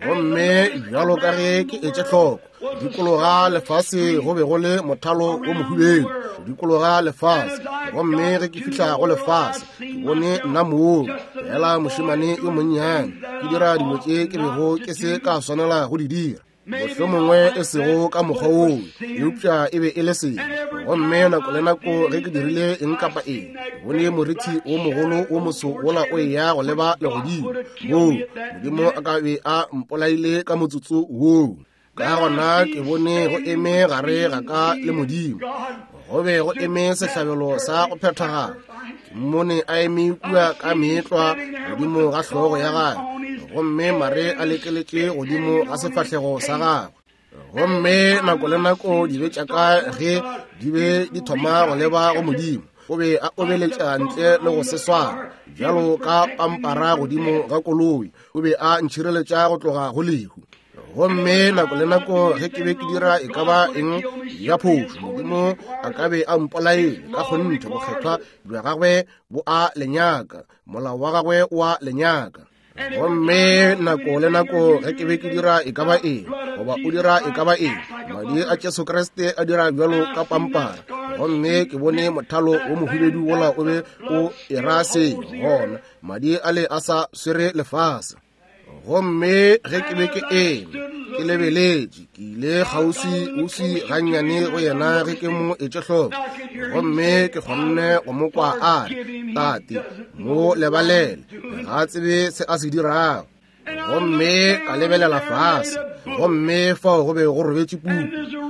Gomme bjalo ka ge ke etše hloko, dikologa lefase go be go le mothalo wo mohubedu, dikologa lefase. Gomme ge ke fihla go lefase, ke bone nna moo fela mošemane yo monnyane ke dira dilo tše ke bego ke se ka swanela go di dira, mohlomongwe e sego ka mokgwa woo, eupša e be e le sebe. Gomme nako le nako ge ke dirile eng kapa eng, ke bone morithi wo mogolo wo moso wola o eya go leba legodimo, woo Modimo a ka be a mpolaile ka motsotso woo. Ka gona ke bone go eme gare ga ka le Modimo, go be go eme sehlabelo sa go phethagala. Ke mmone a eme kua ka meetlwa godimo ga hlogo ya gagwe, gomme mare a lekeletše godimo ga sefahlego sa gagwe. Gomme nako le nako dibe tša ka ge di be di thoma go leba go Modimo, o be a obeletša ntle le go se swara bjalo ka pampara godimo ga koloi, o be a ntšhireletša go tloga go lehu. Gomme nako le nako ge ke be ke dira e ka ba eng ya phošo, Modimo a ka be a mpolaile. Ka kgonthe bokgethwa bja gagwe bo a lenyaka, molao wa gagwe o a lenyaka. Gomme nako le nako ge ke be ke dira e ka ba eng, goba o dira e ka ba eng, madi a Jesu Kriste a dira bjalo ka pampara. Gomme ke bone mothalo wo mohubedu wola o be o era se, gona madi a le a sa swere lefase. Gomme ge ke be ke eme ke lebeletše, ke ile kgauswi-uswi gannyane go yena ge ke mo etše hloko, gomme ke kgonne go mo kwa a re, Tate, mo lebalele, ga a tsebe se a se dirago. Gomme ka lebelela fase, gomme fao go be go robetše puku,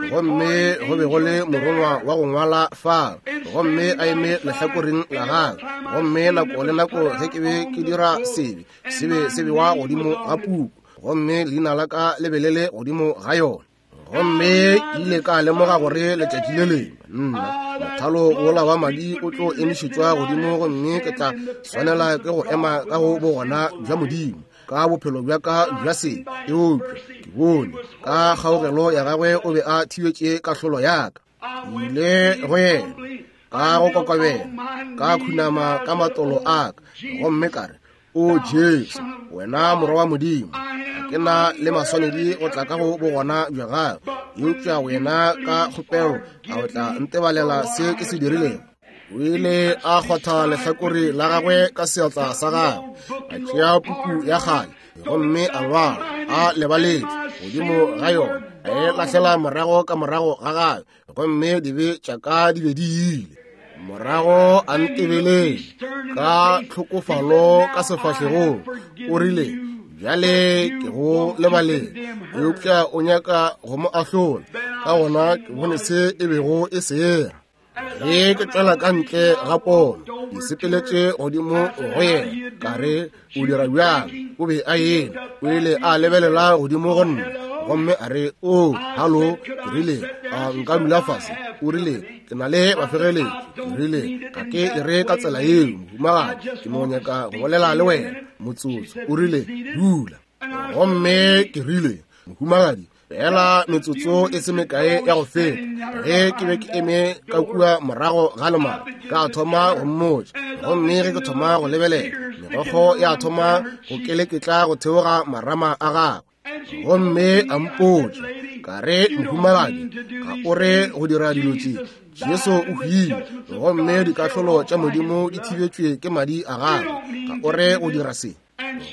gomme go be go le morongwa wa go ngwala fao, gomme a eme lehlakoreng la gagwe. Gomme nako le nako ge ke be ke dira sebe, sebe se bewa godimo ga puku, gomme leina la ka le be le le godimo ga yona. Gomme ke ile ka lemoga gore letšatši le lengwe nna mothalo wola wa madi o tlo emišetšwa godimo, gomme ke tla swanela ke go ema ka go bogona bja Modimo ka bophelo bja ka bja sebe. Eupša ke bone ka kgaogelo ya gagwe o be a thibetše kahlolo ya ka. Ke ile go yena ka go kokobela, ka khunama ka matolo a ka, gomme ka re, O Jesu, wena morwa wa Modimo, ga ke na le maswanedi go tla ka go bogona bja gago, eupša wena ka kgopelo a o tla ntebalela se ke se dirilego? O ile a kgwatha lehlakore la gagwe ka seatla sa gagwe, a tšea puku ya kgale, gomme a ngwala a lebaletše godimo ga yona, a e lahlela morago ka morago ga gagwe, gomme dibe tša ka di be di ile. Morago a ntebeletše ka tlhokofalo ka sefahlegong, o rile, Bjale ke go lebalele, eupša o nyaka go mo ahlola. Ka gona ke bone se e bego e se era. Ge ke tšwela ka ntle ga pono, ke sepeletše godimo go yena, ka re, O dira bjang? O be a eme, o ile a lebelela godimo go nna, gomme a re, O, halo. Ke rile, A nka dula fase? O rile, Ke na le bafegeletši. Ke rile, Ga ke e re ka tsela yeo, mohumagadi, ke no nyaka go bolela le wena motsotso. O rile, Dula. Gomme ke rile, Mohumagadi, fela metsotso e se mekae ya go feta, ge ke be ke eme ka kua morago ga lemati, ka thoma go mmotša. Gomme ge ke thoma go lebelela, megokgo ya thoma go keleketla go theoga marama a gagwe. Gomme a mpotša, ka re, Mohumagadi, ga o re go dira dilo tše. Jesu o hwile, gomme dikahlolo tša Modimo di thibetšwe ke madi a gagwe. Ga o re go dira se.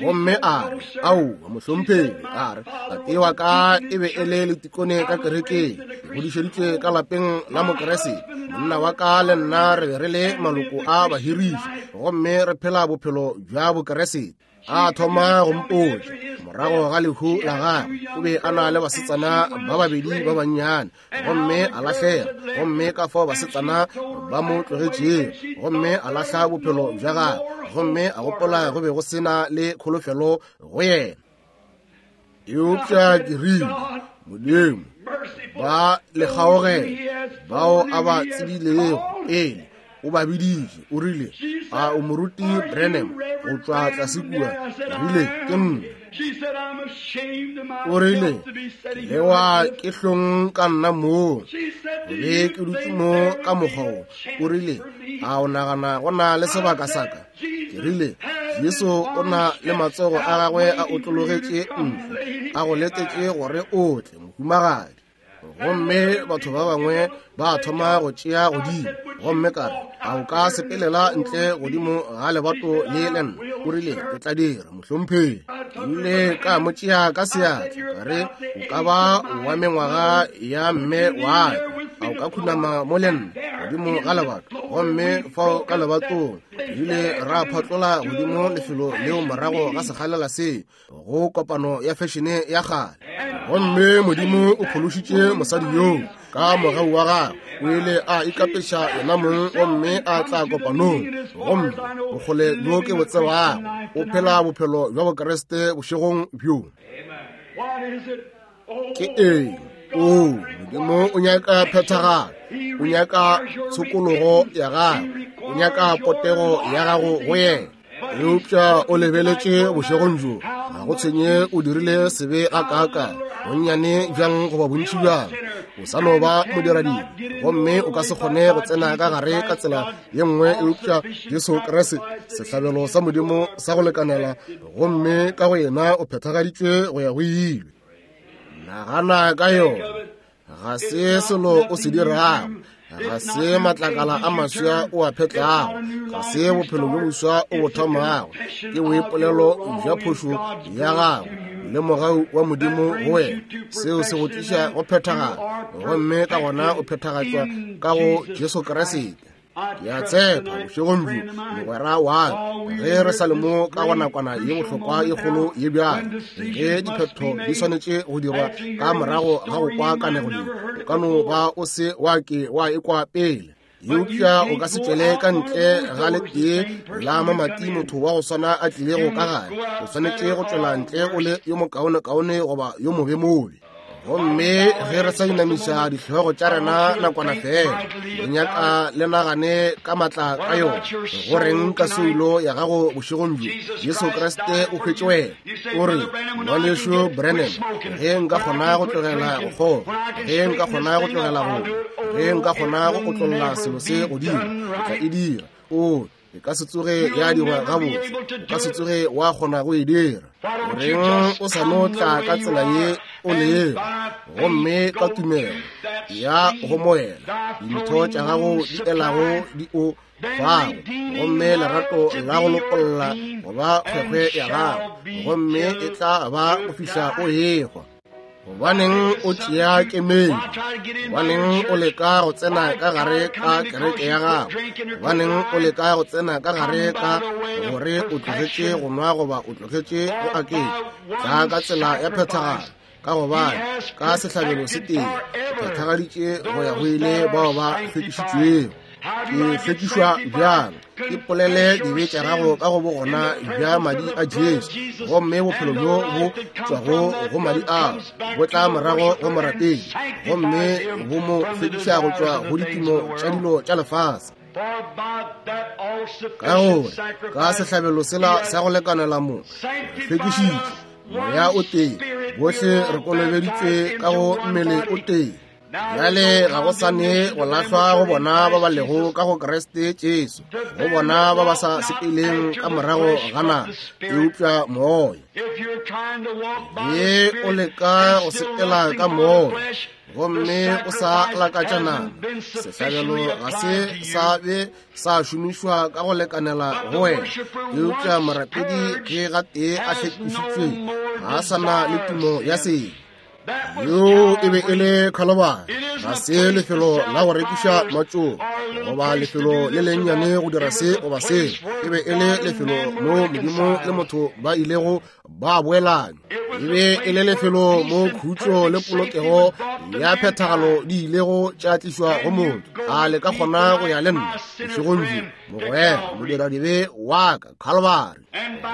Gomme a re, Aowa, mohlomphegi. A re, Tate wa ka e be e le letikone ka kerekeng, ke godišeditšwe ka lapeng la Mokeresete. Monna wa ka le nna re be re le maloko a bahiriši, gomme re phela bophelo bja Bokeresete. A thoma go mpotša morago ga lehu la gagwe, o be a na le basetsana ba babedi ba bannyane, gomme a lahlega. Gomme ka fao basetsana ba mo tlogetšego, gomme a lahla bophelo bja gagwe, gomme a gopola go be go sena le kholofelo go yena. Eupša ke rile, Modimo, ba le kgaogelo bao a ba tsebilego pele, o ba biditše. O rile, a o moruti Branham go tšwa tlase kua? Ke rile, ke nna. O rile, lewa ke hlong ka nna moo, be ke dutše mo ka mokgwa wo. O rile, a o nagana go na le sebaka sa ka? Ke rile, Jesu o na le matsogo a gagwe a otlologetše ntle, a go letetše gore o tle, mohumagadi. Gomme batho ba bangwe ba thoma go tšea godimo, gomme ka re, a o ka sepelela ntle godimo ga lebato le le nna? O rile, ke tla dira, mohlomphegi. Ke ile ka mo tšea ka seatla, ka re, o ka ba wa mengwaga ya mme wa ka, a o ka khunama mo le nna godimo ga lebato? Gomme fao ka lebatong re ile ra phatlola godimo lefelo leo morago ga sekgalela se go kopano ya fešene ya kgale. Gomme Modimo o phološitše mosadi yoo ka mogau wa gagwe. O ile a ikapeša yena mong gomme a tla kopanong, gomme bokgole bjo ke bo tsebago, o phela bophelo bja Bokriste bošegong bjo. Ke eng? O, Modimo o nyaka phethagalo, o nyaka tshokologo ya gago, o nyaka potego ya gago go yena. Eupša o lebeletše bošegong bjo, ga go tshwenye o dirile sebe ga kaakang, bonnyane bjang goba bontši bjang, o sa no ba modiradibe, gomme o ka se kgone go tsena ka gare ka tsela ye nngwe eupša Jesu Kriste, sehlabelo sa Modimo sa go lekanela, gomme ka go yena o phethagaditšwe go ya go ile. Nagana ka yona. Ga se selo o se dirago, ga se matlakala a maswa o a phetlago, ga se bophelo bjo boswa o bo thomago, ke boipolelo bja phošo ya gago le mogau wa Modimo go wena. Seo se go tliša go phethagala, gomme ka gona o phethagatšwa ka go Jesu Kriste. Ke a tshepa bošegong bjo, mogwera wa ka, ge re sa le mo ka go nakwana ye bohlokwa ye kgolo ye bjalo, ge diphetho di swanetše go dirwa ka morago ga go kwa kanego ye, o ka no ba o se wa ke wa ekwa pele. Eupša o ka se tšwele ka ntle ga letee la mamati motho wa go swana a tlilego ka gae. O swanetše go tšwela ntle o le yo mokaonekaone goba yo mobemobe. Gomme ge re sa inamiša dihlogo tša rena nakwana fela, re nyaka le nagane ka matla ka yona. Go reng ka soulo ya gago bošegong bjo? Jesu Kriste o hwetše wena. O re, ngwanešu Branham, ge nka kgona go tlogela go kgoga, ge nka kgona go tlogela go nwa, ge nka kgona go otlolla selo se godimo, ke tla e dira. O e ka se tsoge ya dirwa gabotse, o ka se tsoge wa kgona go e dira. Goreng o sa no tla ka tsela ye o lego, gomme ka tumelo ya go moela dintho tša gago di elago di o fago, gomme lerato la go lokolla go ba kgwekgwe ya gago, gomme e tla ba go fihla o ehwa. Gobaneng o tšea kemedi? Gobaneng o leka go tsena ka gare ka kereke ya gago? Gobaneng o leka go tsena ka gare ka gore o tlogetše go nwa goba o tlogetše go aketša? Tla ka tsela ya phethagalo, ka gobane ka sehlabelo se tee o phethagaditše go ya go ile bao ba hlwekišitšwego. Ke hlwekišwa bjang? Ke polele dibe tša gago ka go bogona bja madi a Jesu, gomme bophelo bjo bo tšwago go madi ao bo tla morago go morapedi, gomme bo mo hlwekiša go tšwa go ditimo tša dilo tša lefase. Ka gore ka sehlabelo sela sa go lekanela mo hlwekišitšwe moya o tee, bohle re kolobeditšwe ka go mmele o tee. Bjale ga go sane go lahlwa go bona ba ba lego ka go Kriste Jesu, go bona ba ba sa sepeleng ka morago ga nama, eupša moya. Ge o leka go sepela ka moya, gomme o sa lakatša nama, sehlabelo ga se sa be sa šomišwa ka go lekanela go wena. Eupša morapedi ge gatee a hlwekišitšwe, ga a sa na le tumo ya sebe. Yo e be e le Khalobari. Ga se lefelo la go rekiša matšoba goba lefelo le lennyane go dira se goba se. E be e le lefelo mo Modimo le motho ba ilego ba boelana. E be e le lefelo mo khutšo le polokego ya phethagalo di ilego tša tlišwa go motho. A le ka kgona go ya le nna bošegong bjo, mogwera modiradibe wa ka Calvary,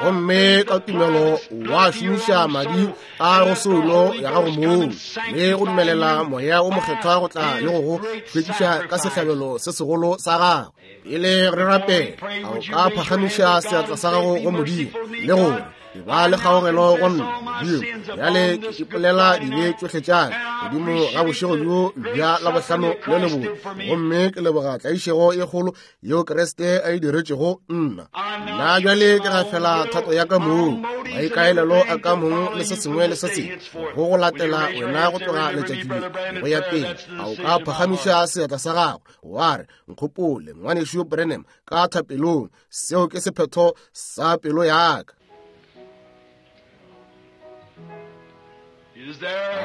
gomme ka tumelo wa šomiša madi a go soulo ya gago moo le go dumelela Moya o Mokgethwa go tla le go go hlwekiša ka sehlabelo se segolo sa gago. Pele re rapela, a o ka phagamiša seatla sa gago go Modimo le gore ba le kgaogelo go nna, Modimo, bjale ke ipolela dibe tšohle tša ka godimo ga bošego bjo bja Labohlano le lebotse, gomme ke leboga tlaišego e kgolo yeo Kriste a e diretšego nna. Nna bjale ke gafela thato ya ka mong, maikaelelo a ka mong le se sengwe le se sengwe go go latela wena go tloga letšatši le go ya pele. A o ka phagamiša seatla sa gago wa re, nkgopole ngwanešu Branham ka thapelong, seo ke sephetho sa pelo ya ka.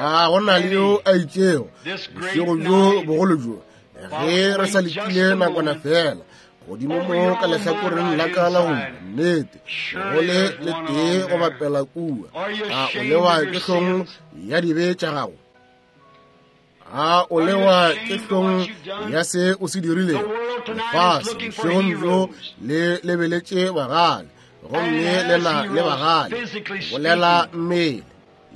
A go na le yo a itšego bošego bjo bogolo bjo, ge re sa letile nakwana fela godimo mo ka lehlakoreng la ka la go nnete go le letee go bapela kua. A o lewa ke hlong ya dibe tša gago? A o lewa ke hlong ya se o se dirilego? Lefase bošegong bjo le lebeletše bagale, gomme le na le bagale bolela mmele.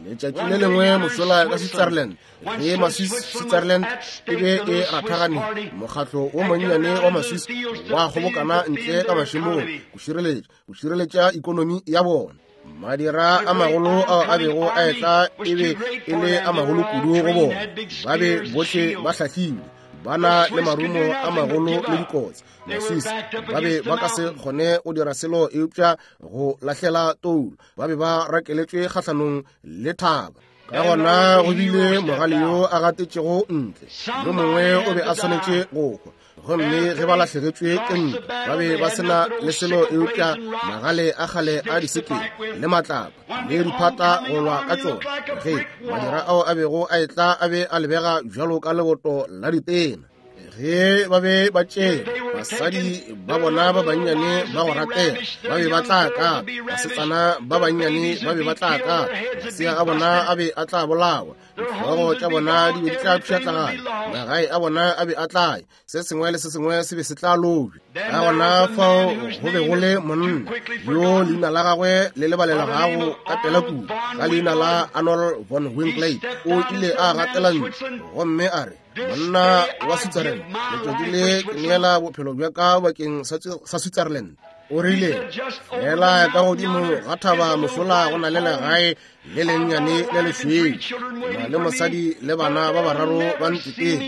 Letšatši le lengwe mošola ka Switzerland, ge Maswiss Switzerland e be e rathagane, mokgatlo wo monnyane wa Maswiss wa kgobokana ntle ka mašemong go šireletša go šireletša ikonomi ya bona. Madira a magolo ao a bego a etla e be e le a magolo kudu go bona. Ba be bohle ba hlahlile, ba na le marumo a magolo le dikotsi. Maswiss ba be ba ka se kgone go dira selo eupša go lahlela toulo. Ba be ba rakeletšwe kgahlanong le thaba. Ka gona go bile mogale yo a gatetšego ntle, yo mongwe o be a swanetše go hwa. Gomme ge ba lahlegetšwe ke ntwa, ba be ba sena le selo eupša magale a kgale a disekele le matlapa le diphata go lwa ka tšona. Ge madira ao a bego a etla a be a lebega bjalo ka leboto la ditena. Ge ba be ba tšere basadi ba bona ba bannyane ba go ratega, ba be ba tla ka basetsana ba bannyane ba be ba tla ka masea a bona a be a tla bolawa, dihlogo tša bona di be di tla pšhatlagana, magae a bona a be a tla ya, se sengwe le se sengwe se be se tla lobja. Ka gona fao go be go le monna yo leina la gagwe le lebalelagago ka pela kudu, ka leina la Arnold von Winkelried. O ile a gatela ntlo gomme a re, monna wa Switzerland, letšatši le ke neela bophelo bja ka bakeng sa Switzerland. O rile, fela ka godimo ga thaba mošola go na le legae le lennyane le lešweu, na le mosadi le bana ba bararo ba nteteng,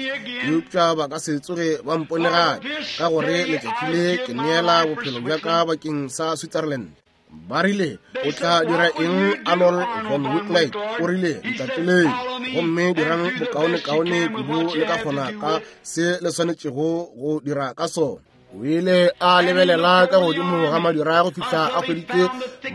eupša ba ka se tsoge ba mpone gape, ka gore letšatši le ke neela bophelo bja ka bakeng sa Switzerland. Ba rile, o tla dira eng Arnold von Winkelried? O rile, ntateleng gomme dirang bokaonekaone kudu le ka kgona ka se le swanetšego go dira ka sona. O ile a lebelela ka godimo ga madira go fihla a hweditše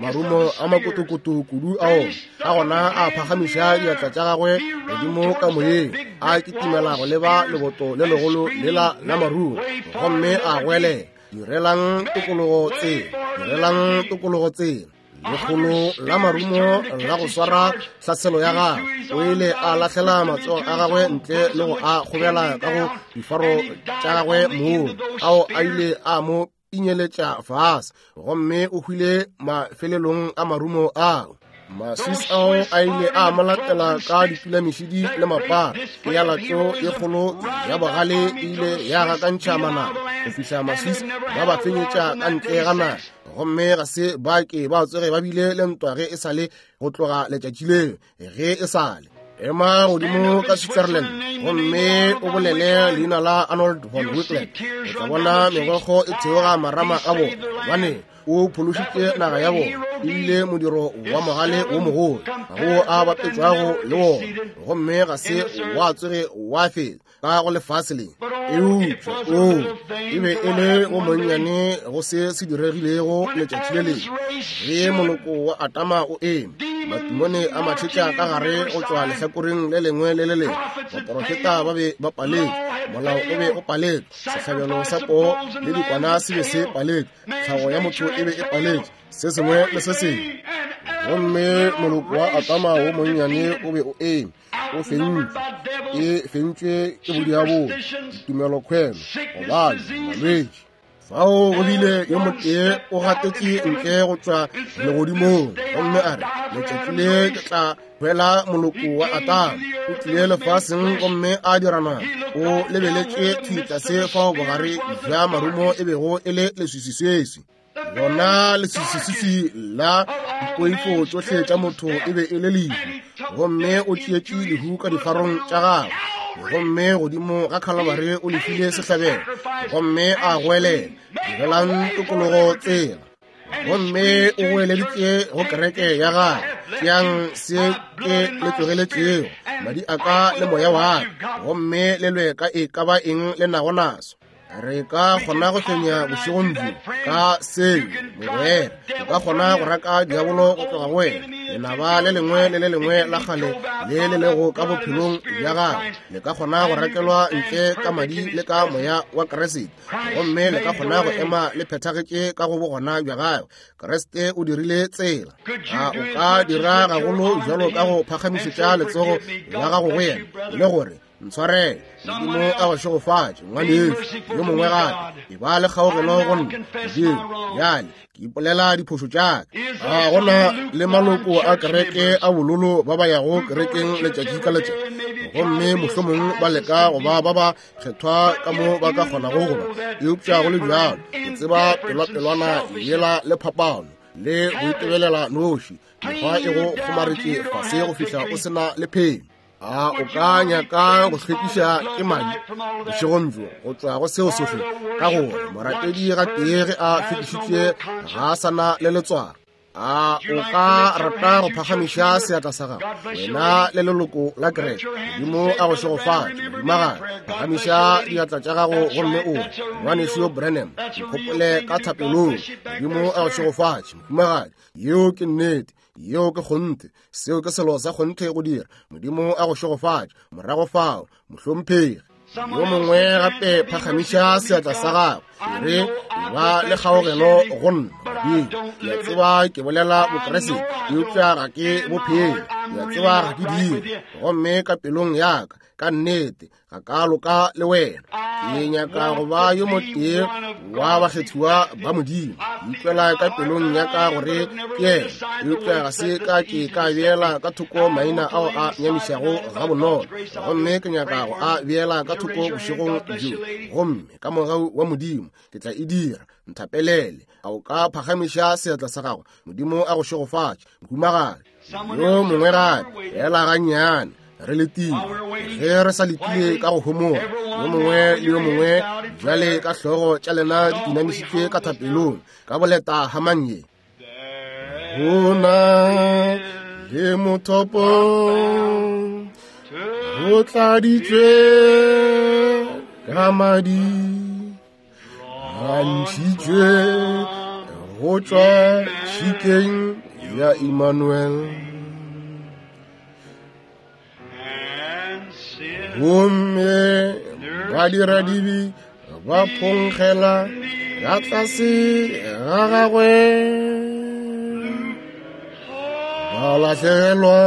marumo a makotokoto kudu ao. Ka gona a phagamiša diatla tša gagwe godimo ka moyeng, a kitimela go leba leboto le legolo lela la marumo, gomme a goelela, direlang tokologo tsela, direlang tokologo tsela. Lekgolo la marumo la go swara tlhaselo ya gagwe. O ile a lahlela matsogo a gagwe ntle le go a kgobela ka go difaro tša gagwe moo, ao a ile a mo pinyeletša fase, gomme o hwile mafelelong a marumo ao. Maswiss ao a ile a mo latela ka dipulamišidi le mapara. Pealatšo ye kgolo ya bogale e ile ya gakantšha manaba go fihla Maswiss ba ba fenyetša ka ntle ga naga, gomme ga se ba ke ba tsoge ba bile le ntwa ge e sa le go tloga letšatši leo ge e sa le. Ema godimo ka Switzerland gomme o bolele leina la Arnold von Winkelried, o tla bona megokgo e theoga marama a bona, gobane o phološitše naga ya bona, ebile modiro wa mogale wo mogolo ga go a bapetšwago le wona, gomme ga se wa tsoge wa fetsa ka go lefase le. Eupša o e be e le wo monnyane go se se diregilego letšatši le lengwe ge moloko wa Adama o eme. Matimone a matšhetša ka gare go tšwa lehlakoreng le lengwe le le lengwe. Baporofeta ba be ba paletšwe, molao o be o paletšwe, sehlabelo sa poo le dikwana se be se paletšwe, tlhago ya motho e be e paletšwe, se sengwe le se sengwe. Gomme moloko wa Adama wo monnyane o be o eme, o fentšwe, e fentšwe ke bodiabolo, ditumelokhwelo, gobane malwetši. Fao go bile yo motee o gatetše ntle go tšwa legodimong, gomme a re, letšatši le ke tla hwela moloko wa Adama. O tlile lefaseng gomme a dira nama. O lebeletše thwi tlase fao bogare bja marumo e bego e le leswiswiswiswi. Lona leswiswiswiswi la dipoifo tšohle tša motho e be e le lehu, gomme o tšeetše lehu ka difarong tša gagwe. Gomme godimo ga Khalabare o lefile sehlabelo, gomme a goelela, direlang tokologo tsela. Gomme o goeleditše go kereke ya gagwe, tšeang se ke le tlogeletšego, madi a ka le moya wa ka, gomme le lwe ka e ka ba eng le nago naso. Re ka kgona go fenya bošegong bjo ka seo, mogwera. O ka kgona go raka diabolo go tloga go wena. Lenaba le lengwe le le lengwe la kgale le le lego ka bophelong bja gago le ka kgona go rakelwa ntle ka madi le ka moya wa Kriste, gomme le ka kgona go ema le phethagetše ka go bogona bja gagwe. Kriste o dirile tsela. A o ka dira gagolo bjalo ka go phagamišetša letsogo la gago go yena le gore, ntshwarele, Modimo a go šegofatše, ngwanešu yo mongwe gape, e ba le kgaogelo go nna. Modimo, bjale ke ipolela diphošo tša ka. A gona le maloko a kereke a bololo ba ba yago kerekeng letšatši ka letšatši, gomme mohlomong ba leka go ba ba ba kgethwa ka mo ba ka kgonago go ba, eupša go le bjalo ke tseba pelwapelwana yela le phapano le go itebelela noši, mekgwa e go kgomaretše fase go fihla o sena le phelo. A o ka nyaka go hlwekiša ke madi bošegong bjo go tšwa go seo sohle, ka gore morapedi gatee ge a hlwekišitšwe ga a sa na le letswalo. A o ka rata go phagamiša seatla sa gago, wena le leloko la kereke? Modimo a go šegofatše, mohumagadi. Phagamiša diatla tša gago gomme o re, ngwanešu Branham, nkgopole ka thapelong. Modimo a go šegofatše, mohumagadi. Yeo ke nnete, yeo ke kgonthe, seo ke selo sa kgonthe go dira. Modimo a go šegofatše. Morago fao, mohlomphegi. Yo mongwe gape phagamiša seatla sa gago, e re, ba le kgaogelo go nna. Modimo, ke a tseba ke bolela Bokriste, eupša ga ke bophele. Ke a tseba ga ke dire, gomme ka pelong ya ka, ka nnete, ga ka loka le wena. Ke nyaka go ba yo motee wa bakgethiwa ba Modimo. Ke ikwela ka pelong ya ka gore ke yena, eupša ga se ka ke ka beela ka thoko maina ao a nyamišago gabonolo, gomme ke nyaka go a beela ka thoko bošegong bjo. Gomme ka mogau wa Modimo ke tla e dira. Nthapelele. A o ka phagamiša seatla sa gago? Modimo a go šegofatše, mohumagadi. Yo mongwe gape, ela gannyane, re letile. Ge re sa letile ka go homola, yo mongwe le yo mongwe bjale ka hlogo tša lena di inamišitšwe ka thapelong, ka boleta hamanye. Go na le mothopo o tladitšwe ka madi, a ntšhitšwe go tšwa tšhikeng ya Emmanuel. Gomme badiradibe ba phonkgela ka tlase ga gagwe, ba lahlegelwa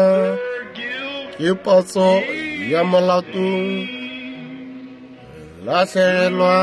ke patso ya molato, lahlegelwa.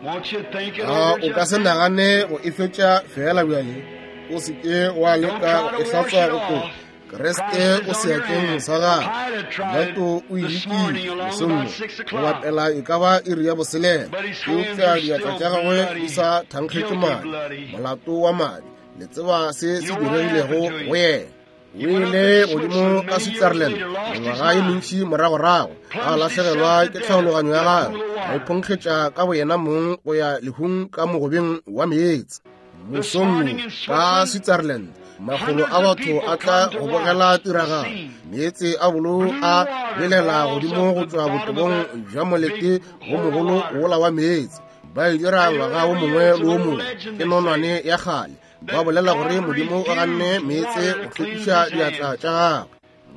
A o ka se nagane go e fetša fela bjale? O se ke wa leka go e hlatswa go tloga. Kriste o seatleng sa gagwe. Pilato o e lekile mosong wo, go bapela e ka ba iri ya boselela, eupša diatla tša gagwe di sa thankgetše madi, molato wa madi. Le tseba se se diregilego go yena. O ile godimo ka Switzerland mengwaga ye mentši moragorago, a lahlegelwa ke tlhaologanyo ya gagwe, a iphonkgetša ka boyena mong go ya lehung ka mogobeng wa meetse. Mosong ka Switzerland, makgolo a batho a tla go bogela tiragalo. Meetse a bolou a belela godimo go tšwa botebong bja molete wo mogolo wola wa meetse. Ba e dira ngwaga wo mongwe le wo mongwe. Ke nonwane ya kgale. Ba bolela gore Modimo o ganne meetse go hlwekiša diatla tša gagwe.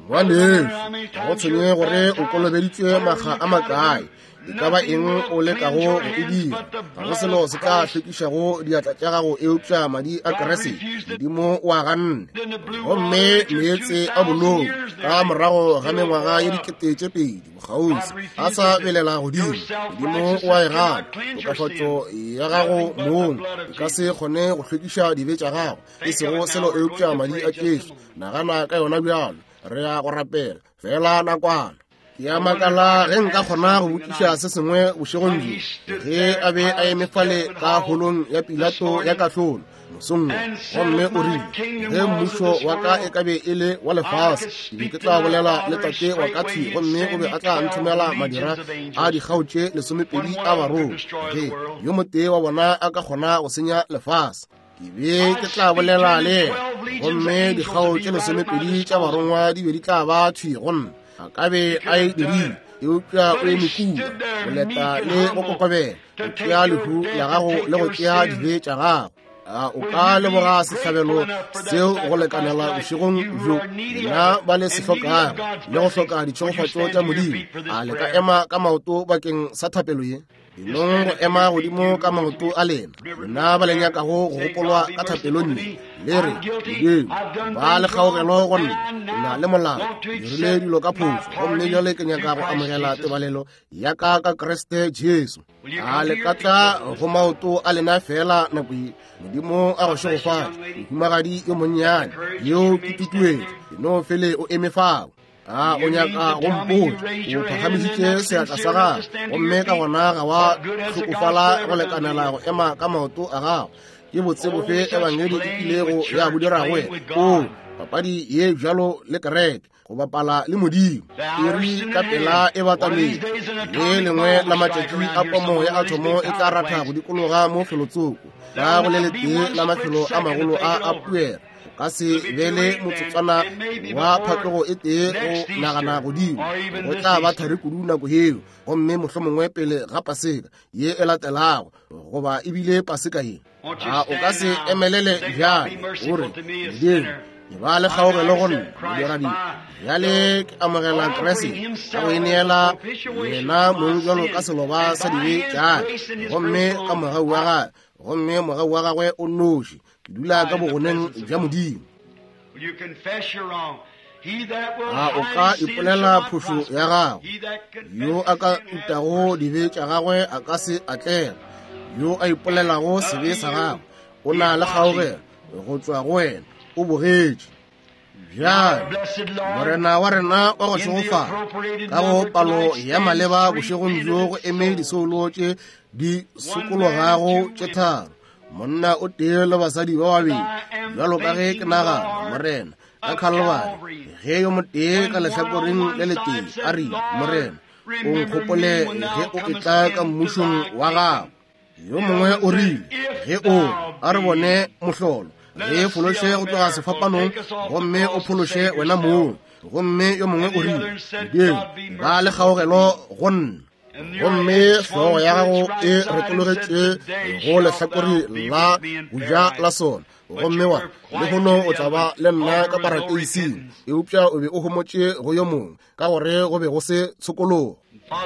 Ngwanešu, ga go tshwenye gore o kolobeditšwe makga a makae, e ka ba eng o lekago go e dira, ga go selo se tla hlwekišago diatla tša gago eupša madi a Kriste. Modimo o a ganne. Gomme meetse a bolou ka morago ga mengwaga ye dikete tše pedi bokgauswi a sa belela godimo. Modimo o a e gana. Tokafatšo ya gago mong e ka se kgone go hlwekiša dibe tša gago, e sego selo eupša madi a Jesu. Nagana ka yona bjalo. Re ya go rapela fela nakwana. Ke a makala ge nka kgona go botšiša se sengwe bošegong bjo. Ge a be a eme fale ka holong ya Pilato ya kahlolo mosong wo, gomme o rile, ge mmušo wa ka e ka be e le wa lefase, ke be ke tla bolela le tate wa ka thwi, gomme o be a tla nthomela madira a dikgao tše lesomepedi a barongwa, ge yo motee wa bona a ka kgona go senya lefase. Ke be ke tla bolela le yena, gomme dikgao tše lesomepedi tša barongwa di be di tla ba thwi go nna. A ka be a e dirile, eupša o eme kua, go leta le go kokobela, go tšea lehu la gago le go tšea dibe tša gago. A o ka leboga sehlabelo seo go lekanela bošegong bjo, lena ba le se hlokago le go hloka ditšhegofatšo tša Modimo? A le ka ema ka maoto bakeng sa thapelo ye? Enong go ema godimo ka maoto a lena, lena ba le nyakago go gopolwa ka thapelong ye, le re, Modimo, ba le kgaogelo go nna, ke na le molao, ke dirile dilo ka phošo, gomme bjale ke nyaka go amogela tebalelo ya ka ka Kriste Jesu. A le ka tla go maoto a lena fela nako ye? Modimo a go šegofatše, mohumagadi yo monnyane yo ke tutuetšo, eno fele o eme fao. A o nyaka go mpotša o phagamišitše seatla sa gago, gomme ka gona ga wa hlokofala go lekanela go ema ka maoto a gago? Ke botse bofe ebangedi e kilego ya bo dira go wena? O papadi ye bjalo le kereke, go bapala le Modimo. Iri ka pela e batametse. Le lengwe la matšatši a pomo ya athomo e tla ratha go dikologa mo felotsoko, ka go le letee la mafelo a magolo a a puera. Ka se be le motsotswana wa phatlogo e tee go nagana godimo. Go tla ba thari kudu nako yeo, gomme mohlomongwe pele ga Paseka ye e latelago, goba ebile Paseka ye. A o ka se emelele bjale o re, Modimo, ke ba le kgaogelo go nna, modiradibe. Bjale ke amogela Kriste ka go ineela yena mong bjalo ka seloba sa dibe tša ka, gomme ka mogau wa gagwe, gomme mogau wa gagwe o nnoši, ke dula ka bogoneng bja Modimo. A o ka ipolela phošo ya gago? Yo a ka utago dibe tša gagwe a ka se atlega. Yo a ipolelago sebe sa gagwe o na le kgaogelo go tšwa go wena, o bogetše. Bjale Morena wa rena wa go šegofala, ka go palo ya maleba bošegong bjo go eme disoulo tše di sokologago tše tharo, monna o tee le basadi ba babedi, bjalo ka ge ke nagana, Morena, ka Calvary, ge yo motee ka lehlakoreng le letee a rile, Morena, o nkgopole ge o etla ka mmušong wa gago. Yo mongwe o rile, ge o a re bone mohlolo, ge fološe go tloga sefapanong, gomme o phološe wena mong. Gomme yo mongwe o rile, Modimo, ba le kgaogelo go nna. Gomme hlogo ya gago e retologetše go lehlakore la boja la sona, gomme wa lehono o tla ba le nna ka parateising. Eupša o be o homotše go yo mongwe, ka gore go be go se tshokologo.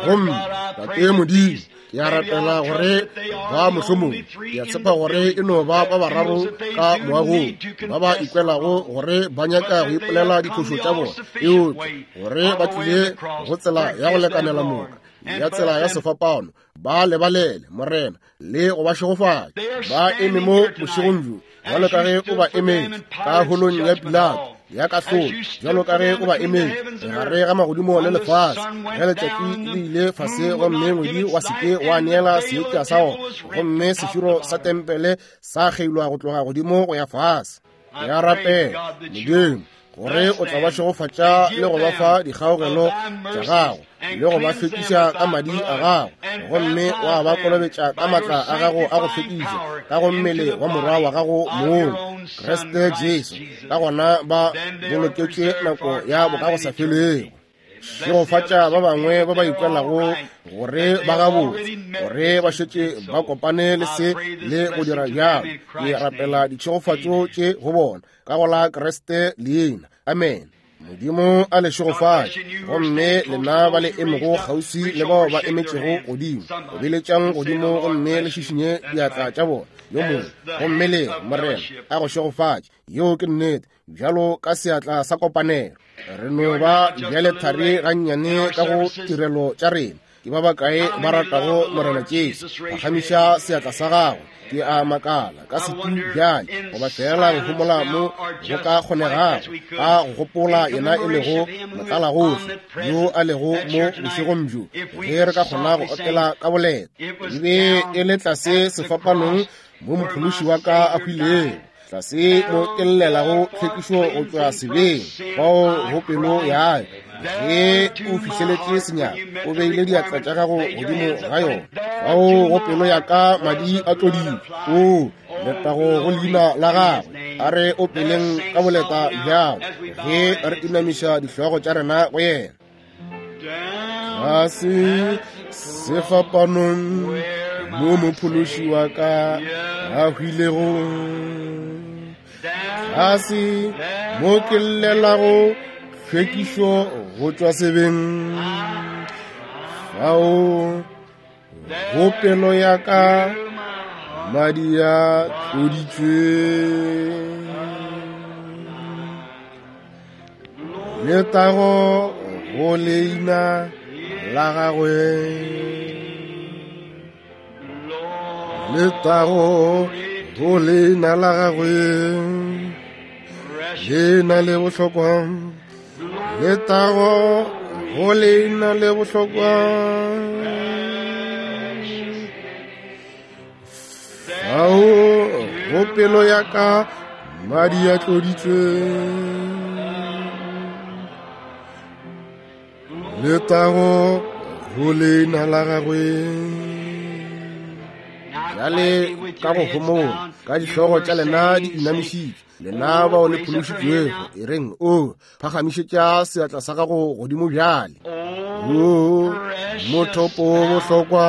Gomme Tate Modimo, ke a rapela gore ba mohlomong, ke a tshepa gore e no ba ba bararo ka moagong ba ba ikwelago gore ba nyaka go ipolela diphošo tša bona, eupša gore ba tlile go tsela ya go lekanela moka ya tsela ya sefapano, ba lebalele, Morena, le go ba šegofatša. Ba eme mo bošegong bjo bjalo ka ge o ba emetše ka holong ya Pilato ya kahlolo, bjalo ka ge o ba emetše gare ga magodimo le lefase, ge letšatši le ile fase gomme ngwedi wa se ke wa neela seetša sa ona, gomme seširo sa tempele sa kgeilwa go tloga godimo go ya fase. Ke a rapela, Modimo, gore o tla ba šegofatša le go ba fa dikgaogelo tša gago, le go ba hlwekiša ka madi a gago, gomme wa ba kolobetša ka maatla a gago a go hlwekiša ka go mmele wa morwa wa gago mong, Kriste Jesu. Ka gona ba boloketšwe nako ya bokagosafelego. Šegofatša ba bangwe ba ba ikwelago gore ba gabotse, gore ba šetše ba kopane le se le go dira bjalo. Ke rapela ditšhegofatšo tše go bona ka go la Kriste leina. Amen. Modimo a le šegofatše. Gomme lena ba le emego kgauswi le bao ba emetšego godimo, obeletšang godimo gomme le šišinye diatla tša bona yo mongwe, gomme le Morena a go šegofatše. Yeo ke nnete, bjalo ka seatla sa kopanelo. Re no ba bjale thari gannyane ka go tirelo tša rena. Ke ba bakae ba ratago Morena Jesu? Phagamiša seatla sa gago. Ke a makala ka setu bjale, goba fela go homola mo go ka kgonegago, ka go gopola yena e lego motlalagohle yo a lego mo bošegong bjo, ge re ka kgona go opela ka boleta. E be e le tlase sefapanong mo mophološi wa ka a hwilego, tlase mo ke llelago tlhwekišo go tšwa sebeng, fao go pelo ya ka. Ge o fihleletše senyaka, o beile diatla tša gago godimo ga yona, fao go pelo ya ka madi a tlodile. O letago go leina la gagwe. A re opeleng ka boleta bjalo ge re inamiša dihlogo tša rena go yena. Tlase sefapanong mo mophološi wa ka a hwilego, tlase mo ke llelago tlhwekišo go tšwa sebeng, fao go pelo ya ka madi a tloditšwe. Letago go leina la gagwe, letago go leina la gagwe, leina le bohlokwa, letago go leina le bohlokwa. Fao go pelo ya ka madi a tloditšwe. Letago go leina la gagwe. Bjale ka go homola, ka dihlogo tša lena di inamišitšwe, lena bao le phološitšwego, e reng o phagamišetša seatla sa gago godimo bjale. O mothopo wo bohlokwa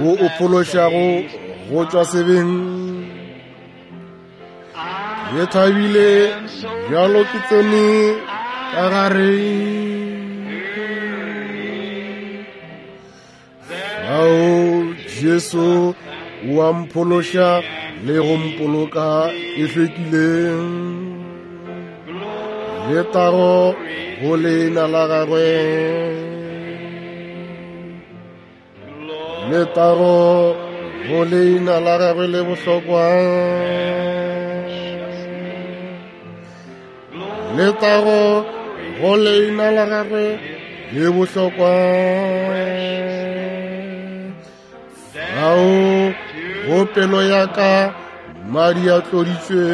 wo o phološago go tšwa sebeng, ke thabile bjalo ke tsene ka gare. Ao Jesu o a mphološa le go mpoloka ke hlwekile. Letago go leina la gagwe, letago go leina la gagwe le bohlokwa, letago go leina la gagwe le bohlokwa. Ao go pelo ya ka madi a tloditšwe.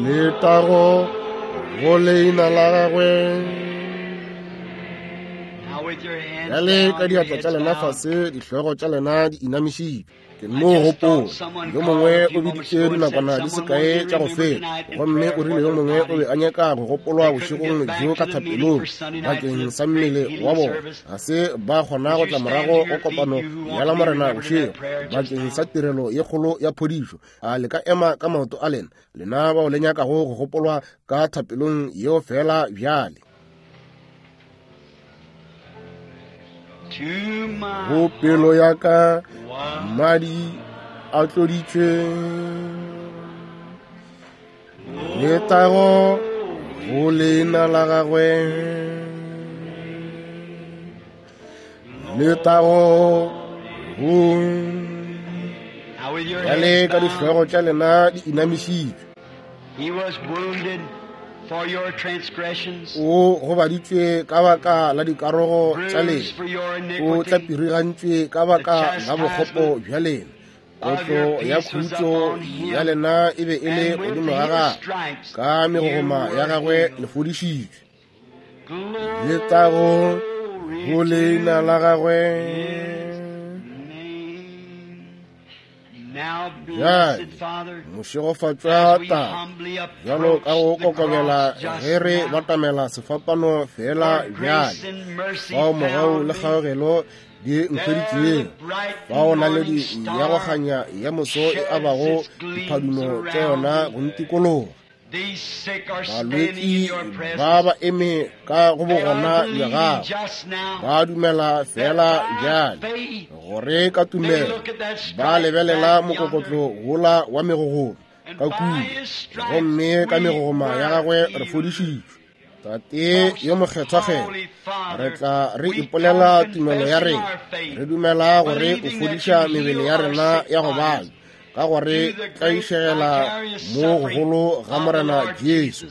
Letago go leina la gagwe. Bjale ka diatla tša lena fase, dihlogo tša lena di inamišitšwe. Ke no gopola yo mongwe o biditše dinakwana di sekae tša go feta, gomme o rile yo mongwe o be a nyaka go gopolwa bošegong bjo ka thapelong bakeng sa mmele wa bona. Ga se ba kgona go tla morago go kopano ya la Morena bošego bakeng sa tirelo ye kgolo ya phodišo. A le ka ema ka maoto a lena, lena bao le nyakago go gopolwa ka thapelong yeo fela bjale. Go pelo ya ka madi a tloditšwe. Letago go leina la gagwe, letago go. Bjale ka dihlogo tša lena di inamišitšwe. For your transgressions, O gobaditšwe ka baka la dikarogo tša lena, o tlapirigantšwe ka baka la bokgopo bja lena. Kotlo ya khutšo ya lena e be e le godimo ga gagwe, ka megogoma ya gagwe le fodišitšwe. Letago go leina la gagwe, Bjale, mošegofatšwa Tate, bjalo ka go kokobela ge re batamela sefapano fela bjale, fao mogau le kgaogelo di nkhweditšego, fao naledi ya go kganya ya moso e abago diphadumo tša yona go ntikologa. Balwetši ba ba eme ka go bogona bja gago, ba dumela fela bjale gore ka tumelo ba lebelela mokokotlo wola wa megogoma ka kua, gomme ka megogoma ya gagwe re fodišitšwe. Tate yo mokgethwakgethwa, re tla re ipolela tumelo ya rena, re dumela gore o fodiša mebele ya rena ya go babja ka gore tlaišegela mo gogolo ga Morena Jesu.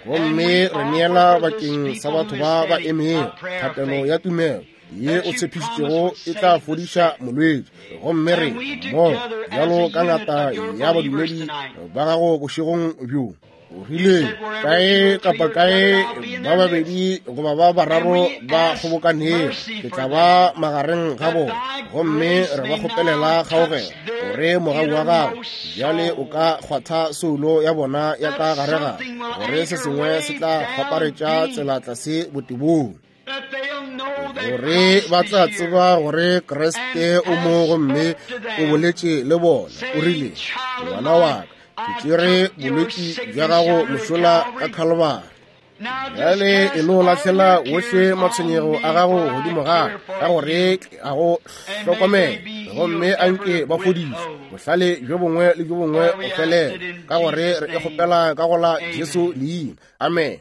Gomme re neela bakeng sa batho ba ba emego thapelo ya tumelo ye o tshepišitšego e tla fodiša molwetši. Gomme re mo bjalo ka ngata ya badumedi ba gago bošegong bjo, o rile kae kapa kae ba babedi goba ba bararo ba kgobokanego, ke tla ba magareng ga bona. Gomme re ba kgopelela kgaogelo gore mogau wa gago bjale o ka kgwatha soulo ya bona ya ka gare gare, gore se sengwe se tla kgwaparetša tsela tlase botebong, gore ba tla tseba gore Kriste o mo gomme o boletše le bona. O rile, ngwana wa ka, ke tšere bolwetši bja gago mošola ka Khalibari. Bjale e no lahlela wohle matshwenyego a gago godimo ga ka gore a go hlokomela, gomme a nke ba fodišwe bohlale bjo bongwe le bjo bongwe go felela, ka gore re e kgopela ka go la Jesu leina. Amen.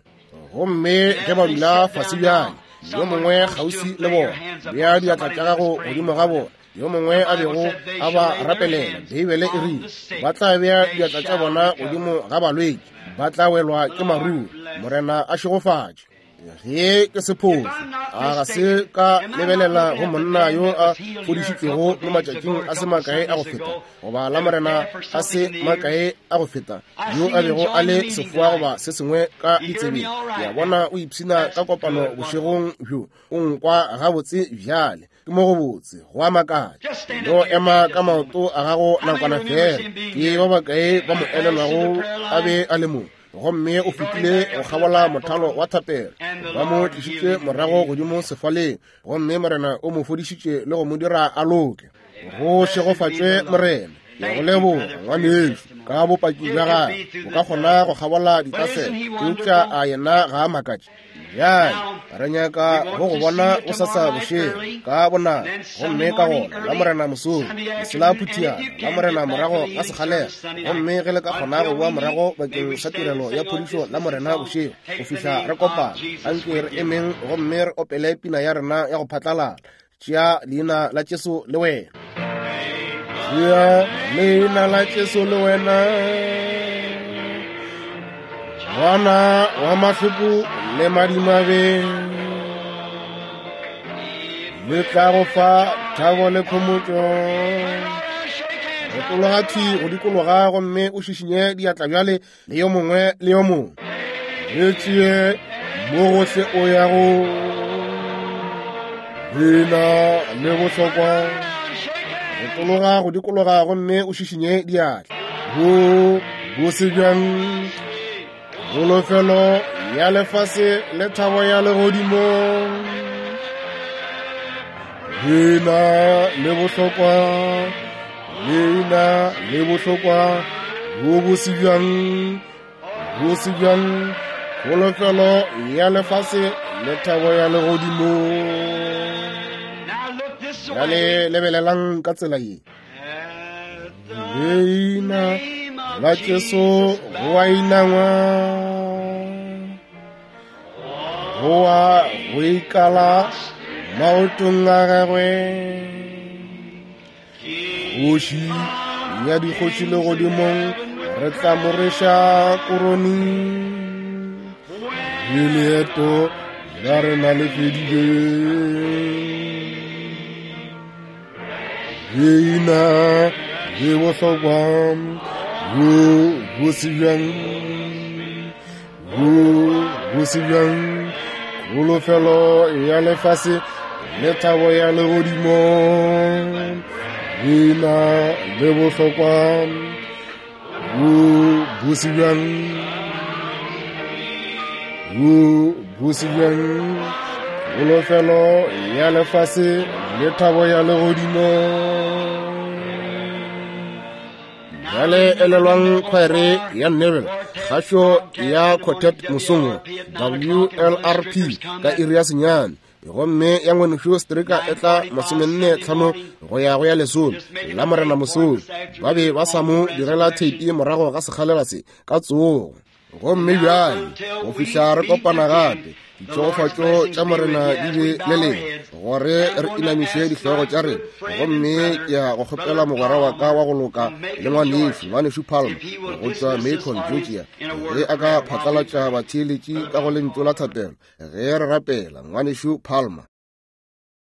Gomme ge ba dula fase bjale, yo mongwe kgauswi le bona, bea diatla tša gago godimo ga bona, yo mongwe a bego a ba rapelela. Beibele e rile ba tla bea diatla tša bona godimo ga balwetši, ba tla welwa ke maruru. Morena a šegofatše. Ge ke sephofu, a ga se ka lebelela go monna yo a fodišitšwego mo matšatšing a se makae a go feta, goba la Morena a se makae a go feta, yo a bego a le sefoa goba se sengwe ka ditsebeng. Ke a bona o ipshina ka kopano bošegong bjo, o nkwa gabotse bjale. Ke mo go botse, go a makatša. No ema ka maoto a gago nakwana fela. Ke ba bakae ba mo elelwago a be a le mo? Gomme o fetile go kgabola mothalo wa thapelo, ba mo tlišitše morago godimo sefaleng, gomme Morena o mo fodišitše le go mo dira a loke. Go šegofatšwe Morena. Ke go leboga ngwanešu ka bopaki bja gagwe. O ka kgona go kgabola ditaselo, eupša a yena ga a makatše. Bjale re nyaka go go bona o sasa bošego ka bonako, gomme ka gona la Morena mosong lesela phuthiana la Morena morago ga sekgalela. Gomme ge le ka kgona go boa morago bakeng sa tirelo ya phodišo la Morena bošego go fihla re kopana, anke re emeng gomme re opele pina ya rena ya go phatlalala, Tšea leina la Jesu le wena. Tšea leina la Jesu le wena, ngwana wa mahloko le madimabe, le tla go fa thabo le khomotšo. Retologa thwi go dikologa gomme o šišinye diatla bjale le yo mongwe le yo mongwe. Le tšee mo gohle o yago, leina le bohlokwa. Retologa go dikologa gomme o šišinye diatla. Bo bose bjang, kholofelo ya lefase le thabo ya legodimo. Leina le bohlokwa, leina le bohlokwa, bo bose bjang, bose bjang, kholofelo ya lefase le thabo ya legodimo. Bjale lebelelang ka tsela ye. Leina la Jesu go a inangwa, go a go ikala maotong a gagwe. Kgoši ya dikgoši legodimong, re tla mo reša korone. Le leeto la rena le fedile. Leina le bohlokwa, bo bose bjang, bo bose bjang, kholofelo ya lefase le thabo ya legodimo. Leina le bohlokwa bo bose bjang, bo bose bjang, kholofelo ya lefase le thabo ya legodimo. Bjale elelwang khwaere ya Neville, kgašo ya Quartet mosong wo, W L R P ka iri ya senyane, gomme ya ngwanešu Stricker e tla masomenne tlhano go ya go ya lesome la Morena mosong. Ba be ba sa mo direla theipi morago ga sekgalela se ka tsogo. Gomme bjale go fihla re kopana gape, ditšhegofatšo tša Morena di be le lena, gore re inamiše dihlogo tša rena. Gomme ke ya go kgopela mogwera wa ka wa go loka le ngwanešu, ngwanešu Palmer go tšwa Macon, Georgia, ge a ka phatlalatša batheeletši ka go lentšu la thapelo ge re rapela. Ngwanešu Palmer.